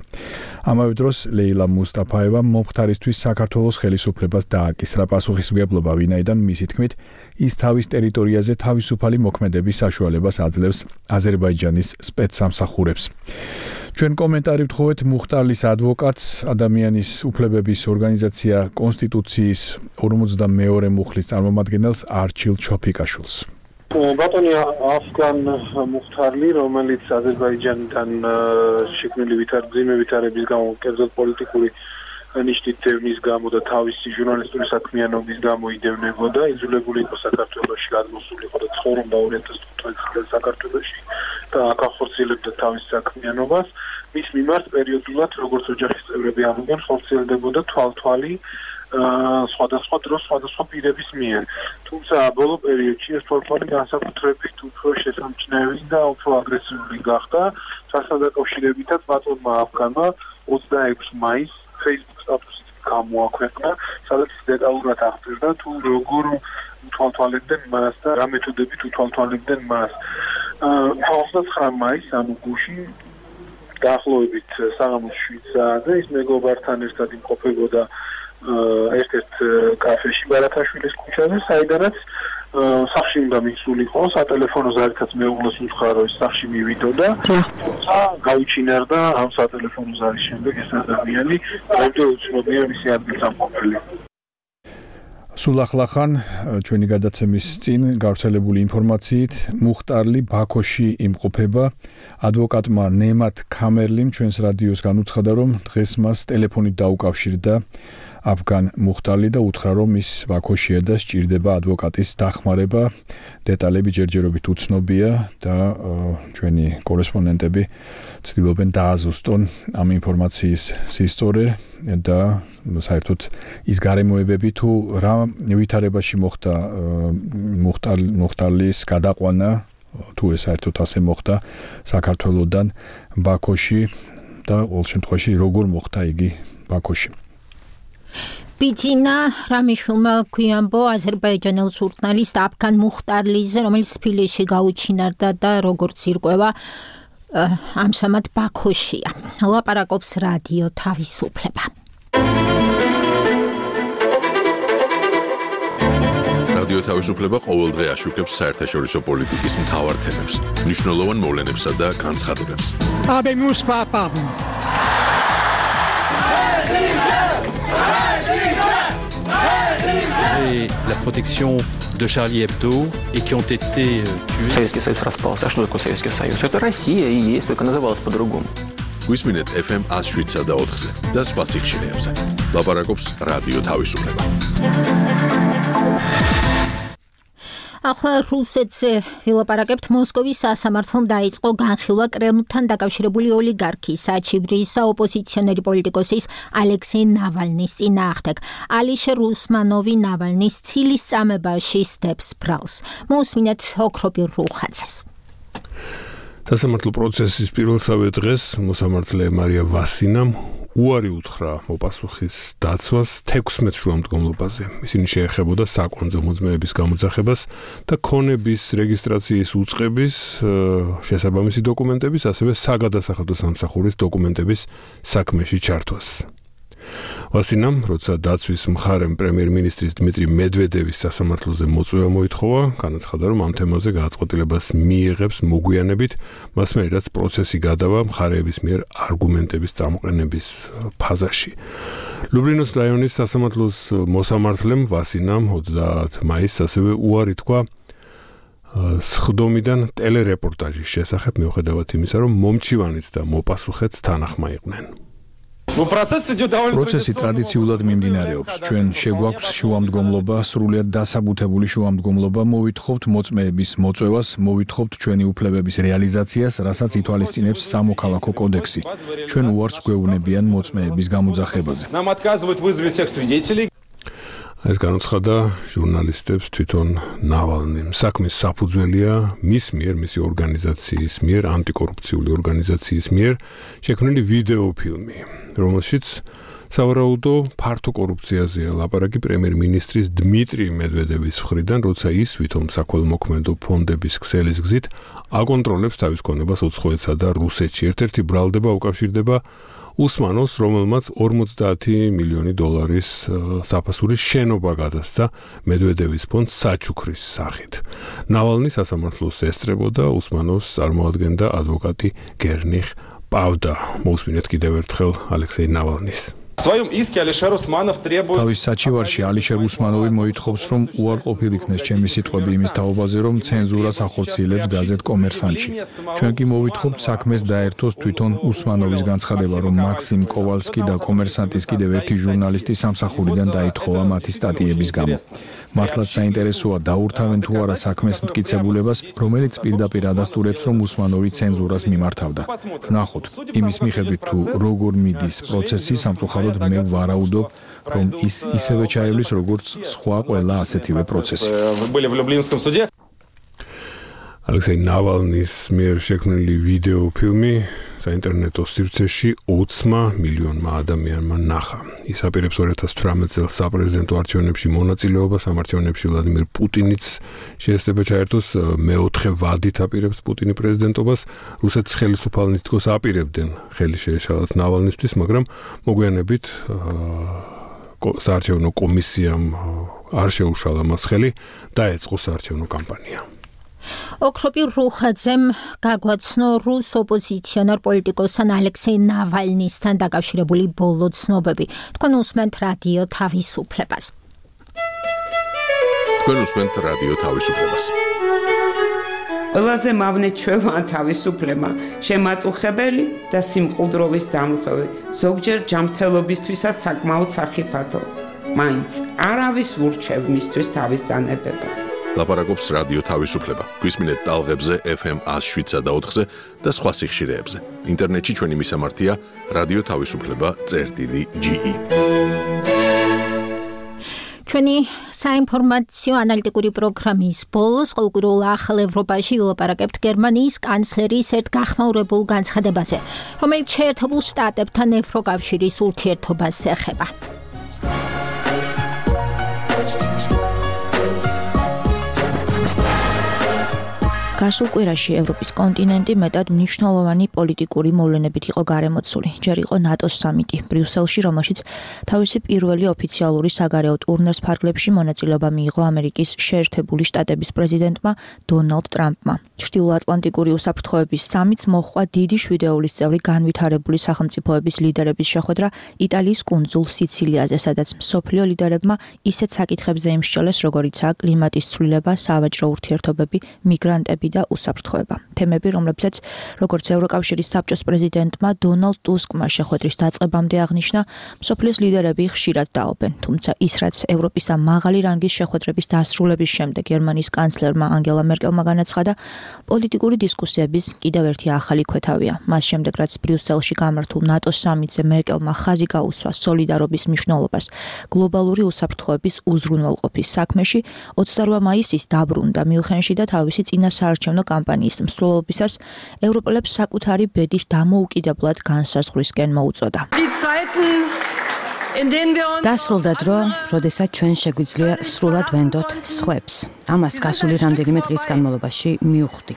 ამავე დროს ლეილა მუსტაფაევამ მომხდარისთვის საქართველოს ხელისუფლებას დააკისრა პასუხისმგებლობა, ვინაიდან მისი თქმით, ის თავის ტერიტორიაზე თავისუფალი მოქმედების საშუალებას აძლევს აზერბაიჯანის სპეცსამსახურებს. ჩვენ კომენტარი ვთხოვეთ მუხტარლის ადვოკატს, ადამიანის უფლებების ორგანიზაცია კონსტიტუციის 52 მუხლის წარმომადგენელს არჩილ ჩოფიკაშვილს.
ბატონი აფგან მუხტარლი, რომელიც აზერბაიჯანიდან შექმნილი ვითარების გამო, კერძოდ პოლიტიკური ნიშნით დევნის გამო და თავისი ჟურნალისტური საქმიანობის გამო იდევნებოდა, იძულებული იყო საქართველოში გადმოსულიყო და ცხოვრობდა 2015 წელს საქართველოში და აქ ახორციელებდა თავის საქმიანობას. მის მიმართ პერიოდულად, როგორც ოჯახის წევრები ამბობენ, ხორციელდებოდა თვალთვალი სხვადასხვა დროს სხვადასხვა პირების მიერ. თუმცა ბოლო პერიოდში ეს თვალთვალი განსაკუთრებით უფრო შესამჩნევი და უფრო აგრესიული გახდა. სასთან დაკავშირებითაც ბატონმა აფგანმა 26 მაისს Facebook სტატუსით გამოაქვეყნა, სადაც დეტალურად აღწერდა თუ როგორ უთვალთვალებდნენ მას და რა მეთოდებით უთვალთვალებდნენ მას. 29 მაისს ანუ გუში დაახლოებით საღამოს 7 საათზე ის მეგობართან ერთად იმყოფებოდა ერთ-ერთ კაფეში ბარათაშვილის ქუჩაზე, საიდანაც სახში უნდა მისულიყო, სატელეფონო ზარითაც მეუღლეს უთხრა, რომ ის სახში მივიდოდა, თუმცა გაუჩინარდა ამ სატელეფონო ზარის შემდეგ ეს ადამიანი, დღემდე უცნობია მისი ადგილსამყოფელი.
სულ ახლახან ჩვენი გადაცემის წინ გავრცელებული ინფორმაციით მუხტარლი ბაქოში იმყოფება. ადვოკატმა ნემათ ქამერლიმ ჩვენს რადიოს განუცხადა, რომ დღეს მას ტელეფონით დაუკავშირდა აფგან მუხტარლი და უთხრა, რომ ის ბაქოშია და სჭირდება ადვოკატის დახმარება. დეტალები ჯერჯერობით უცნობია და ჩვენი კორესპონდენტები ცდილობენ დააზუსტონ ამ ინფორმაციის სისწორე და საერთოდ ის გარემოებები თუ რა ვითარებაში მოხდა მუხტარლის გადაყვანა, თუ ეს საერთოდ ასე მოხდა საქართველოსდან ბაქოში და ყოველ შემთხვევაში როგორ მოხდა იგი ბაქოში.
ბიძინა რამიშვილმა გვიამბო აზერბაიჯანელ ჟურნალისტ აფგან მუხტარლიზე, რომელიც თბილისში გაუჩინარდა და როგორც ირკვევა ამჟამად ბაქოშია. ლაპარაკობს რადიო თავისუფლება.
რადიო თავისუფლება ყოველდღე აშუქებს საერთაშორისო პოლიტიკის მთავარ თემებს, მნიშვნელოვან მოვლენებსა და განცხადებებს.
Et la protection de Charlie Hebdo et qui ont été tués.
Советский Союз распался. А что такое Советский Союз? Это Россия и есть, только называлась по-другому.
Გვისმინეთ FM 107 და 4-ზე და სხვა სიხშირეებზე. ლაპარაკობს რადიო თავისუფლება.
ახლა რუსეთზე ვილაპარაკებთ. მოსკოვის სასამართლომ დაიწყო განხილვა კრემლთან დაკავშირებული ოლიგარქის საჩივრის ოპოზიციონერი პოლიტიკოსის ალექსეი ნავალნის წინააღმდეგ. ალიშერ უსმანოვი ნავალნის ცილის წამებაში სდებს ბრალს. მოусმინეთ ოქრობილ რუხაძეს.
სასამართლო პროცესის პირველსავე დღეს მოსამართლე მარია ვასინამ
უარი უთხრა მოპასუხის დაცვას 16 შუამდგომლობაზე. ისინი შეეხებოდა საკვანძო მოძმეების გამოძახებას და ქონების რეგისტრაციის უწყების, შესაბამისი დოკუმენტების, ასევე საგადასახადო სამსახურის დოკუმენტების საქმეში ჩართვას. ვასინამ, როცა დაცვის მხარემ პრემიერ-მინისტრის დმიტრი მედვედევის სასამართლოზე მოწვევა მოითხოვა, განაცხადა, რომ ამ თემაზე გააწყობილებას მიიღებს მოგვიანებით, მას მერე რაც პროცესი გადავა მხარეების მიერ არგუმენტების წამოყენების ფაზაში. ლუბრინოს რაიონის სასამართლოს მოსამართლემ ვასინამ 30 მაისს ასევე უარი თქვა სხდომიდან ტელერეპორტაჟის შესახებ, მიუხედავად იმისა, რომ მომჩივანიც და მოპასუხეც თანახმა იყვნენ.
პროცესი ტრადიციულად მიმდინარეობს. ჩვენ შეგვაქვს შუამდგომლობა, სრულიად დასაბუთებული შუამდგომლობა, მოვითხოვთ მოწმეების მოწვევას, მოვითხოვთ ჩვენი უფლებების რეალიზაციას, რასაც ითვალისწინებს სამოქალაქო კოდექსი. ჩვენ უარს გვეუბნებიან მოწმეების გამოძახებაზე.
ეს განუცხადა ჟურნალისტებს თვითონ ნავალნიმ. საქმის საფუძველია მის მიერ, მისი ორგანიზაციის მიერ, ანტიკორუფციული ორგანიზაციის მიერ შექმნილი ვიდეოფილმი, რომელშიც სავარაუდო ფართო კორუფციაზეა ლაპარაკი პრემიერ-მინისტრის დმიტრი მედვედევის მხრიდან, როცა ის ვითომ საქველმოქმედო ფონდების ქსელის გზით აკონტროლებს თავის ქონებას უცხოეთსა და რუსეთში. ერთ-ერთი ბრალდება უკავშირდება უსმანოს, რომელმაც 50 მილიონი დოლარის საფასურის შენობა გადასცა მედვედევის ფონდს საჩუქრის სახით. ნავალნი სასამართლოს ესწრებოდა, უსმანოს წარმოადგენდა ადვოკატი გერნიხ პავდა. მოусმინეთ კიდევ ერთხელ ალექსეი ნავალნის.
თავის საჩივარში ალიშერ უსმანოვი მოითხოვს, რომ უარყოფილ იქნეს ჩემი სიტყვები იმის თაობაზე, რომ ცენზურას ახორციელებს გაზეთ კომერსანტში. ჩვენ კი მოვითხოვთ საქმეს დაერთოს თვითონ უსმანოვის განცხადება, რომ მაქსიმ კოვალსკი და კომერსანტის კიდევ ერთი ჟურნალისტი სამსახურიდან დაითხოვა მათი სტატიების გამო. მართლაც საინტერესოა დაურთავენ თუ არა საქმეს მტკიცებულებას, რომელიც პირდაპირ ადასტურებს, რომ უსმანოვი ცენზურას მიმართავდა. ნახოთ, იმის მიხედვით თუ როგორ მიდის პროცესი, სამწუხაროდ მე ვარაუდობ, რომ ის ისევე ჩაივლის, როგორც სხვა ყველა ასეთივე პროცესი.
ალექსეი ნავალნის მიერ შექმნილი ვიდეოფილმი საინტერნეტო სივრცეში 20 მილიონმა ადამიანმა ნახა. ის აპირებს 2018 წელს საპრეზიდენტო არჩევნებში მონაწილეობას, ამ არჩევნებში ვლადიმირ პუტინიც შეესწრება ჩაერთოს, მეოთხე ვადით აპირებს პუტინი პრეზიდენტობას. რუსეთის ხელისუფალნი თითქოს აპირებდნენ ხელი შეეშალათ ნავალნისთვის, მაგრამ მოგვიანებით საარჩევნო კომისიამ არ შეუშალა მას ხელი, დაეწყო საარჩევნო კამპანია.
ოქროპი რუხაძემ გაგვაცნო რუს ოპოზიციონერ პოლიტიკოსთან ალექსეი ნავალნისთან დაკავშირებული ბოლო ცნობები. თქვენ უსმენთ რადიო თავისუფლებას.
ყველაზე მავნე ჩვევა თავისუფლება, შემაწუხებელი და სიმყუდროვის დამხევი, ზოგჯერ ჯანმრთელობისთვისაც საკმაოდ სახიფათო. მაინც არავის ურჩევ მისთვის თავის დანებებას.
ლაპარაკობს რადიო თავისუფლება. გვისმინეთ ტალღებზე FM 107-ზე და 4-ზე და სხვა სიხშირეებზე. ინტერნეტში ჩვენი მისამართია რადიო თავისუფლება.ge.
ჩვენი საინფორმაციო ანალიტიკური პროგრამის ბოლოს ყოველკვირეულ ახალ ევროპაში ვილაპარაკებთ გერმანიის კანცლერის ერთ გახმაურებულ განცხადებაზე, რომელიც შეერთებულ შტატებთან ევროკავშირის ურთიერთობას ეხება.
გასულ კვირაში ევროპის კონტინენტი მეტად მნიშვნელოვანი პოლიტიკური მოვლენებით იყო გარემოცული. ჯერ იყო ნატოს სამიტი ბრიუსელში, რომელშიც თავისი პირველი ოფიციალური საგარეო ტურნეს ფარგლებში მონაწილეობა მიიღო ამერიკის შეერთებული შტატების პრეზიდენტმა დონალდ ტრამპმა. ჩრდილოატლანტიკური უსაფრთხოების სამიტს მოჰყვა დიდი შვიდეულის წევრი განვითარებული სახელმწიფოების ლიდერების შეხვედრა იტალიის კუნძულ სიცილიაზე, სადაც მსოფლიო ლიდერებმა ისეთ საკითხებზე იმსჯელეს, როგორიცაა კლიმატის ცვლილება, სავაჭრო ურთიერთობები, მიგრანტები და უსაფრთხოება. თემები, რომლებსაც როგორც ევროკავშირის საბჭოს პრეზიდენტმა დონალდ ტუსკმა შეხვედრის დაწყებამდე აღნიშნა, მსოფლიოს ლიდერები ხშირად დაობენ, თუმცა ის, რაც ევროპისა მაღალი რანგის შეხვედრების დასრულების შემდეგ გერმანიის კანცლერმა ანგელა მერკელმა განაცხადა, პოლიტიკური დისკუსიების კიდევ ერთი ახალი ქვეთავია. მას შემდეგ, რაც ბრიუსელში გამართულ ნატოს სამიტზე მერკელმა ხაზი გაუსვა სოლიდარობის მნიშვნელობას გლობალური უსაფრთხოების უზრუნველყოფის საქმეში, 28 მაისის დაბრუნდა მიუნხენში და თავისი წინასაარჩევნო საარჩევნო კამპანიის მსვლელობისას ევროპელებს საკუთარი ბედის დამოუკიდებლად განსაზღვრისკენ მოუწოდა.
დასრულდა დრო, როდესაც ჩვენ შეგვიძლია სრულად ვენდოთ სხვებს. ამას გასული რამდენიმე დღის განმავლობაში მივხვდი.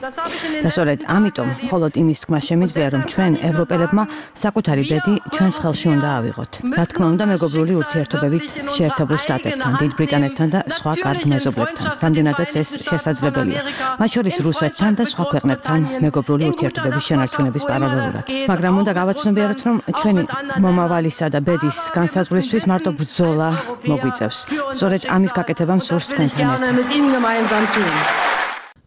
და სწორედ ამიტომ მხოლოდ იმის თქმა შემიძლია, რომ ჩვენ ევროპელებმა საკუთარი ბედი ჩვენს ხელში უნდა ავიღოთ. რა თქმა უნდა, მეგობრული ურთიერთობებით შეერთებულ შტატებთან, დიდ ბრიტანეთთან და სხვა კარგ მეზობლებთან, რამდენადაც ეს შესაძლებელია. მათ შორის რუსეთთან და სხვა ქვეყნებთან მეგობრული ურთიერთობების შენარჩუნების პარალელურად. მაგრამ უნდა გავაცნობიეროთ, რომ ჩვენი მომავალისა და ბედის განსაზღვრისთვის მარტო ბრძოლა მოგვიწევს. სწორედ ამის გაკეთება მსურს თქვენთან ერთად.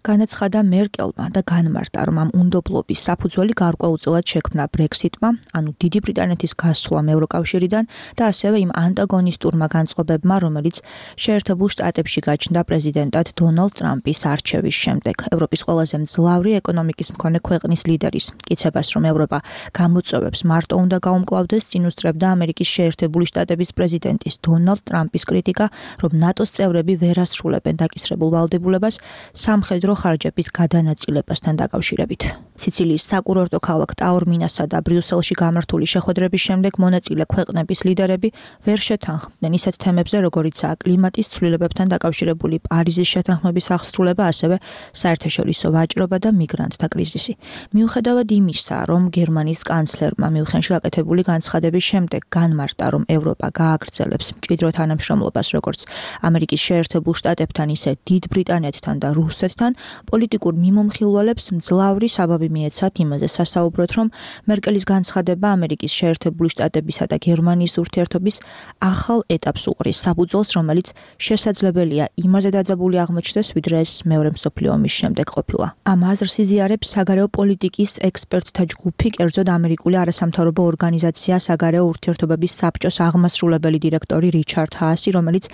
განაცხადა მერკელმა და განმარტა, რომ ამ უნდობლობის საფუძველი გარკვეულწილად შექმნა ბრექსიტმა, ანუ დიდი ბრიტანეთის გასვლამ ევროკავშირიდან და ასევე იმ ანტაგონისტურმა განწყობებმა, რომელიც შეერთებულ შტატებში გაჩნდა პრეზიდენტად დონალდ ტრამპის არჩევის შემდეგ. ევროპის ყველაზე მძლავრი ეკონომიკის მქონე ქვეყნის ლიდერის კიცებას, რომ ევროპა გამოწვევებს მარტო უნდა გაუმკლავდეს, წინ უსწრებდა ამერიკის შეერთებული შტატების პრეზიდენტის დონალდ ტრამპის კრიტიკა, რომ ნატოს წევრები ვერ ასრულებენ დაკისრებულ ვალდებულებას სამხედრო ხარჯების გადანაწილებასთან დაკავშირებით. სიცილიის საკურორტო ქალაქ ტაორმინასა და ბრიუსელში გამართული შეხვედრების შემდეგ მონაწილე ქვეყნების ლიდერები ვერ შეთანხმდნენ ისეთ თემებზე, როგორიცაა კლიმატის ცვლილებებთან დაკავშირებული პარიზის შეთანხმების აღსრულება, ასევე საერთაშორისო ვაჭრობა და მიგრანტთა კრიზისი. მიუხედავად იმისა, რომ გერმანიის კანცლერმა მიუნხენში გაკეთებული განცხადების შემდეგ განმარტა, რომ ევროპა გააგრძელებს მჭიდრო თანამშრომლობას როგორც ამერიკის შეერთებულ შტატებთან, ისე დიდ ბრიტანეთთან და რუსეთთან, პოლიტიკურ მიმომხილველებს მძლავრი საბაბი მიეცათ იმაზე სასაუბროთ, რომ მერკელის განცხადება ამერიკის შეერთებული შტატებისა და გერმანიის ურთიერთობის ახალ ეტაპს უყრის საფუძველს, რომელიც შესაძლებელია იმაზე დაძაბული აღმოჩნდეს, ვიდრე ეს მეორე მსოფლიო ომის შემდეგ ყოფილა. ამ აზრს იზიარებს საგარეო პოლიტიკის ექსპერტთა ჯგუფი, კერძოდ ამერიკული არასამთავრობო ორგანიზაცია საგარეო ურთიერთობების საბჭოს აღმასრულებელი დირექტორი რიჩარდ ჰაასი, რომელიც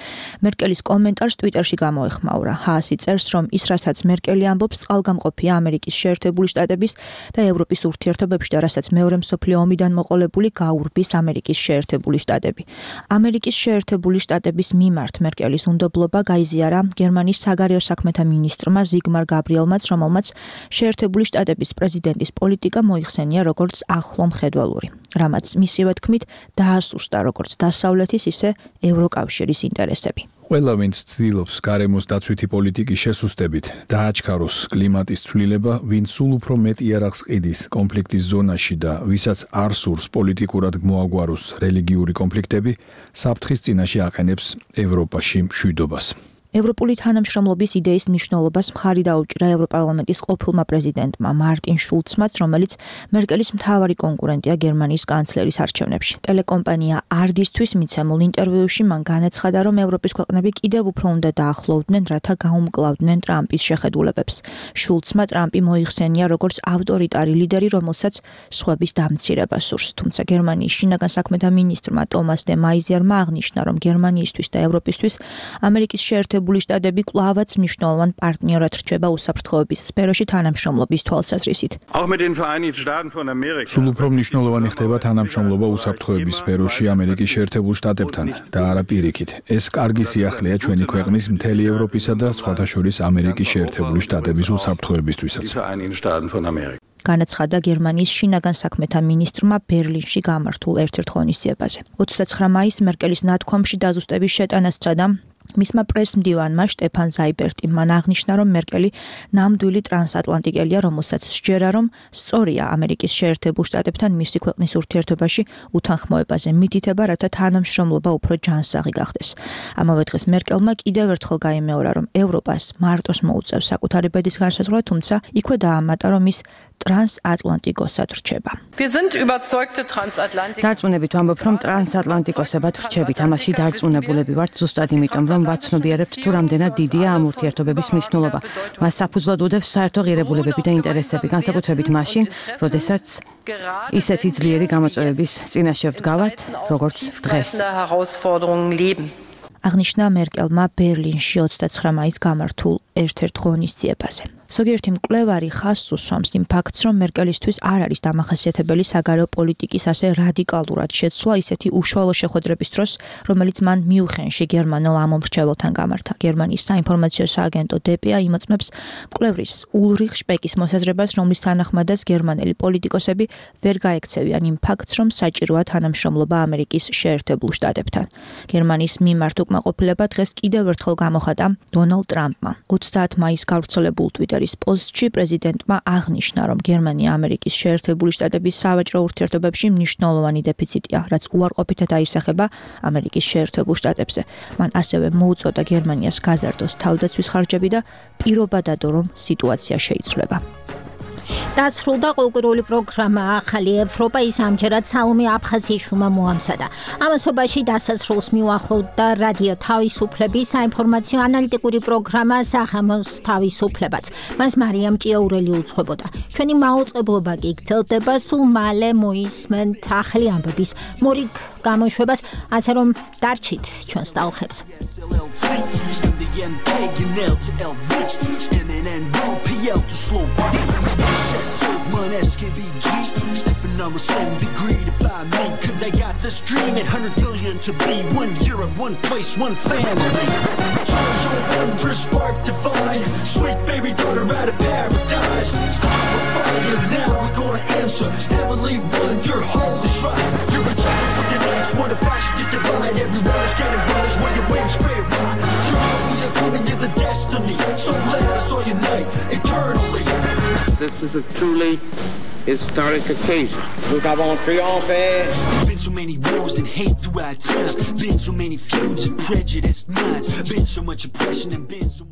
მერკელის კომენტარს ტვიტერში გამოეხმაურა. ჰაასი წერს, რომ ის რასაც მერკელი ამბობს, წყალგამყოფია ამერიკის შეერთებული შტატების და ევროპის ურთიერთობებში და რასაც მეორე მსოფლიო ომიდან მოყოლებული გაურბის ამერიკის შეერთებული შტატები. ამერიკის შეერთებული შტატების მიმართ მერკელის უნდობლობა გაიზიარა გერმანიის საგარეო საქმეთა მინისტრმა ზიგმარ გაბრიელმაც, რომელმაც შეერთებული შტატების პრეზიდენტის პოლიტიკა მოიხსენია როგორც ახლო მხედველური, რამაც მისივე თქმით დაასუსტა როგორც დასავლეთის, ისე ევროკავშირის ინტერესები.
ყველა ვინც ცდილობს გარემოს დაცვითი პოლიტიკის შესუსტებით დააჩქაროს კლიმატის ცვლილება, ვინც სულ უფრო მეტ იარაღს ყიდის კონფლიქტის ზონაში და ვისაც არ სურს პოლიტიკურად მოაგვაროს რელიგიური კონფლიქტები, საფრთხის წინაშე აყენებს ევროპაში მშვიდობას.
ევროპული თანამშრომლობის იდეის მნიშვნელობას მხარი დაუჭირა ევროპარლამენტის ყოფილმა პრეზიდენტმა მარტინ შულცმაც, რომელიც მერკელის მთავარი კონკურენტია გერმანიის კანცლერის არჩევნებში. ტელეკომპანია ARD-ისთვის მიცემულ ინტერვიუში მან განაცხადა, რომ ევროპის ქვეყნები კიდევ უფრო უნდა დაახლოვდნენ, რათა გაუმკლავდნენ ტრამპის შეხედულებებს. შულცმა ტრამპი მოიხსენია როგორც ავტორიტარი ლიდერი, რომელსაც სხვების დამცირება სურს. თუმცა გერმანიის შინაგან საქმეთა მინისტრმა ტომას დე მაიზიერმა აღნიშნა, რომ გერმანიისთვის და ევროპისთვის ამერიკის შეერთებული შტატები კვლავაც მნიშვნელოვან პარტნიორად რჩება უსაფრთხოების სფეროში თანამშრომლობის თვალსაზრისით.
სულ უფრო მნიშვნელოვანი ხდება თანამშრომლობა უსაფრთხოების სფეროში ამერიკის შეერთებულ შტატებთან და არა პირიქით. ეს კარგი სიახლეა ჩვენი ქვეყნის, მთელი ევროპისა და სხვათა შორის ამერიკის შეერთებული შტატების უსაფრთხოებისთვისაც.
განაცხადა გერმანიის შინაგან საქმეთა მინისტრმა ბერლინში გამართულ ერთ-ერთ ღონისძიებაზე. 29 მაისს მერკელის ნათქვამში დაზუსტების შეტანას სცადა მისმა პრესმდივანმა შტეფან ზაიბერტი. მან აღნიშნა, რომ მერკელი ნამდვილი ტრანსატლანტიკელია, რომელსაც სჯერა, რომ სწორია ამერიკის შეერთებულ შტატებთან მისი ქვეყნის ურთიერთობაში უთანხმოებაზე მითითება, რათა თანამშრომლობა უფრო ჯანსაღი გახდეს. ამავე დღეს მერკელმა კიდევ ერთხელ გაიმეორა, რომ ევროპას მარტოს მოუწევს საკუთარი ბედის განსაზღვრა, თუმცა იქვე დაამატა, რომ ის ტრანსატლანტიკოსად რჩება.
დარწმუნებით ვამბობ, რომ ტრანსატლანტიკოსებად რჩებით. ამაში დარწმუნებულები ვართ ზუსტად იმიტომ, რომ ვაცნობიერებთ თუ რამდენად დიდია ამ ურთიერთობების მნიშვნელობა. მას საფუძვლად უდევს საერთო ღირებულებები და ინტერესები, განსაკუთრებით მაშინ, როდესაც ისეთი ძლიერი გამოწვევების წინაშე ვდგავართ, როგორც დღეს.
აღნიშნა მერკელმა ბერლინში 29 მაისს გამართულ ერთ-ერთ ღონისძიებაზე. ზოგიერთი მკვლევარი ხაზს უსვამს იმ ფაქტს, რომ მერკელისთვის არ არის დამახასიათებელი საგარეო პოლიტიკის ასე რადიკალურად შეცვლა ისეთი უშუალო შეხვედრების დროს, რომელიც მან მიუნხენში გერმანელ ამომრჩეველთან გამართა. გერმანიის საინფორმაციო სააგენტო DPA იმოწმებს მკვლევრის ულრიხ შპეკის მოსაზრებას, რომლის თანახმადაც გერმანელი პოლიტიკოსები ვერ გაექცევიან იმ ფაქტს, რომ საჭიროა თანამშრომლობა ამერიკის შეერთებულ შტატებთან. გერმანიის მიმართ უკმაყოფილება დღეს კიდევ ერთხელ გამოხატა დონალდ ტრამპმა. 30 მაისს გავრცელებულ ტვიტერის პოსტში პრეზიდენტმა აღნიშნა, რომ გერმანია ამერიკის შეერთებული შტატების სავაჭრო ურთიერთობებში მნიშვნელოვანი დეფიციტია, რაც უარყოფითად აისახება ამერიკის შეერთებულ შტატებზე. მან ასევე მოუწოდა გერმანიას გაზარდოს თავდაცვის ხარჯები და პირობა დადო, რომ სიტუაცია შეიცვლება.
დასრულდა კულტურული პროგრამა ახალი ევროპა ის ამჯერად სალომე აფხაზიშვილმა მოამზადა. ამასობაში დასასრულს მიუახლოვდა რადიო თავისუფლების საინფორმაციო ანალიტიკური პროგრამა საღამოს თავისუფლებაც. მას მარიამ ჭიაურელი უძღვებოდა. ჩვენი მაუწყებლობა კი გრძელდება, სულ მალე მოისმენთ ახალი ამბების მორიგ გამოშვებას, ასე რომ დარჩით ჩვენს ტალღებს. Numbers so agreed by me, cause they got this dream at 100 billion to be one Europe, one place, one family. Charge on wondrous spark divine, sweet baby daughter out of paradise. We're fire now, we're gonna answer. Heavenly one, your holy shrine. You're a child for your names, what if I should get divine? Everyone is getting brothers where your wings straight right. Tomorrow we are coming to the destiny, so let us all unite eternally.
This is a truly historic occasion. Nous avons triomphé. There's been so many wars and hate throughout time. Been so many feuds and prejudiced minds. Been so much oppression and been so much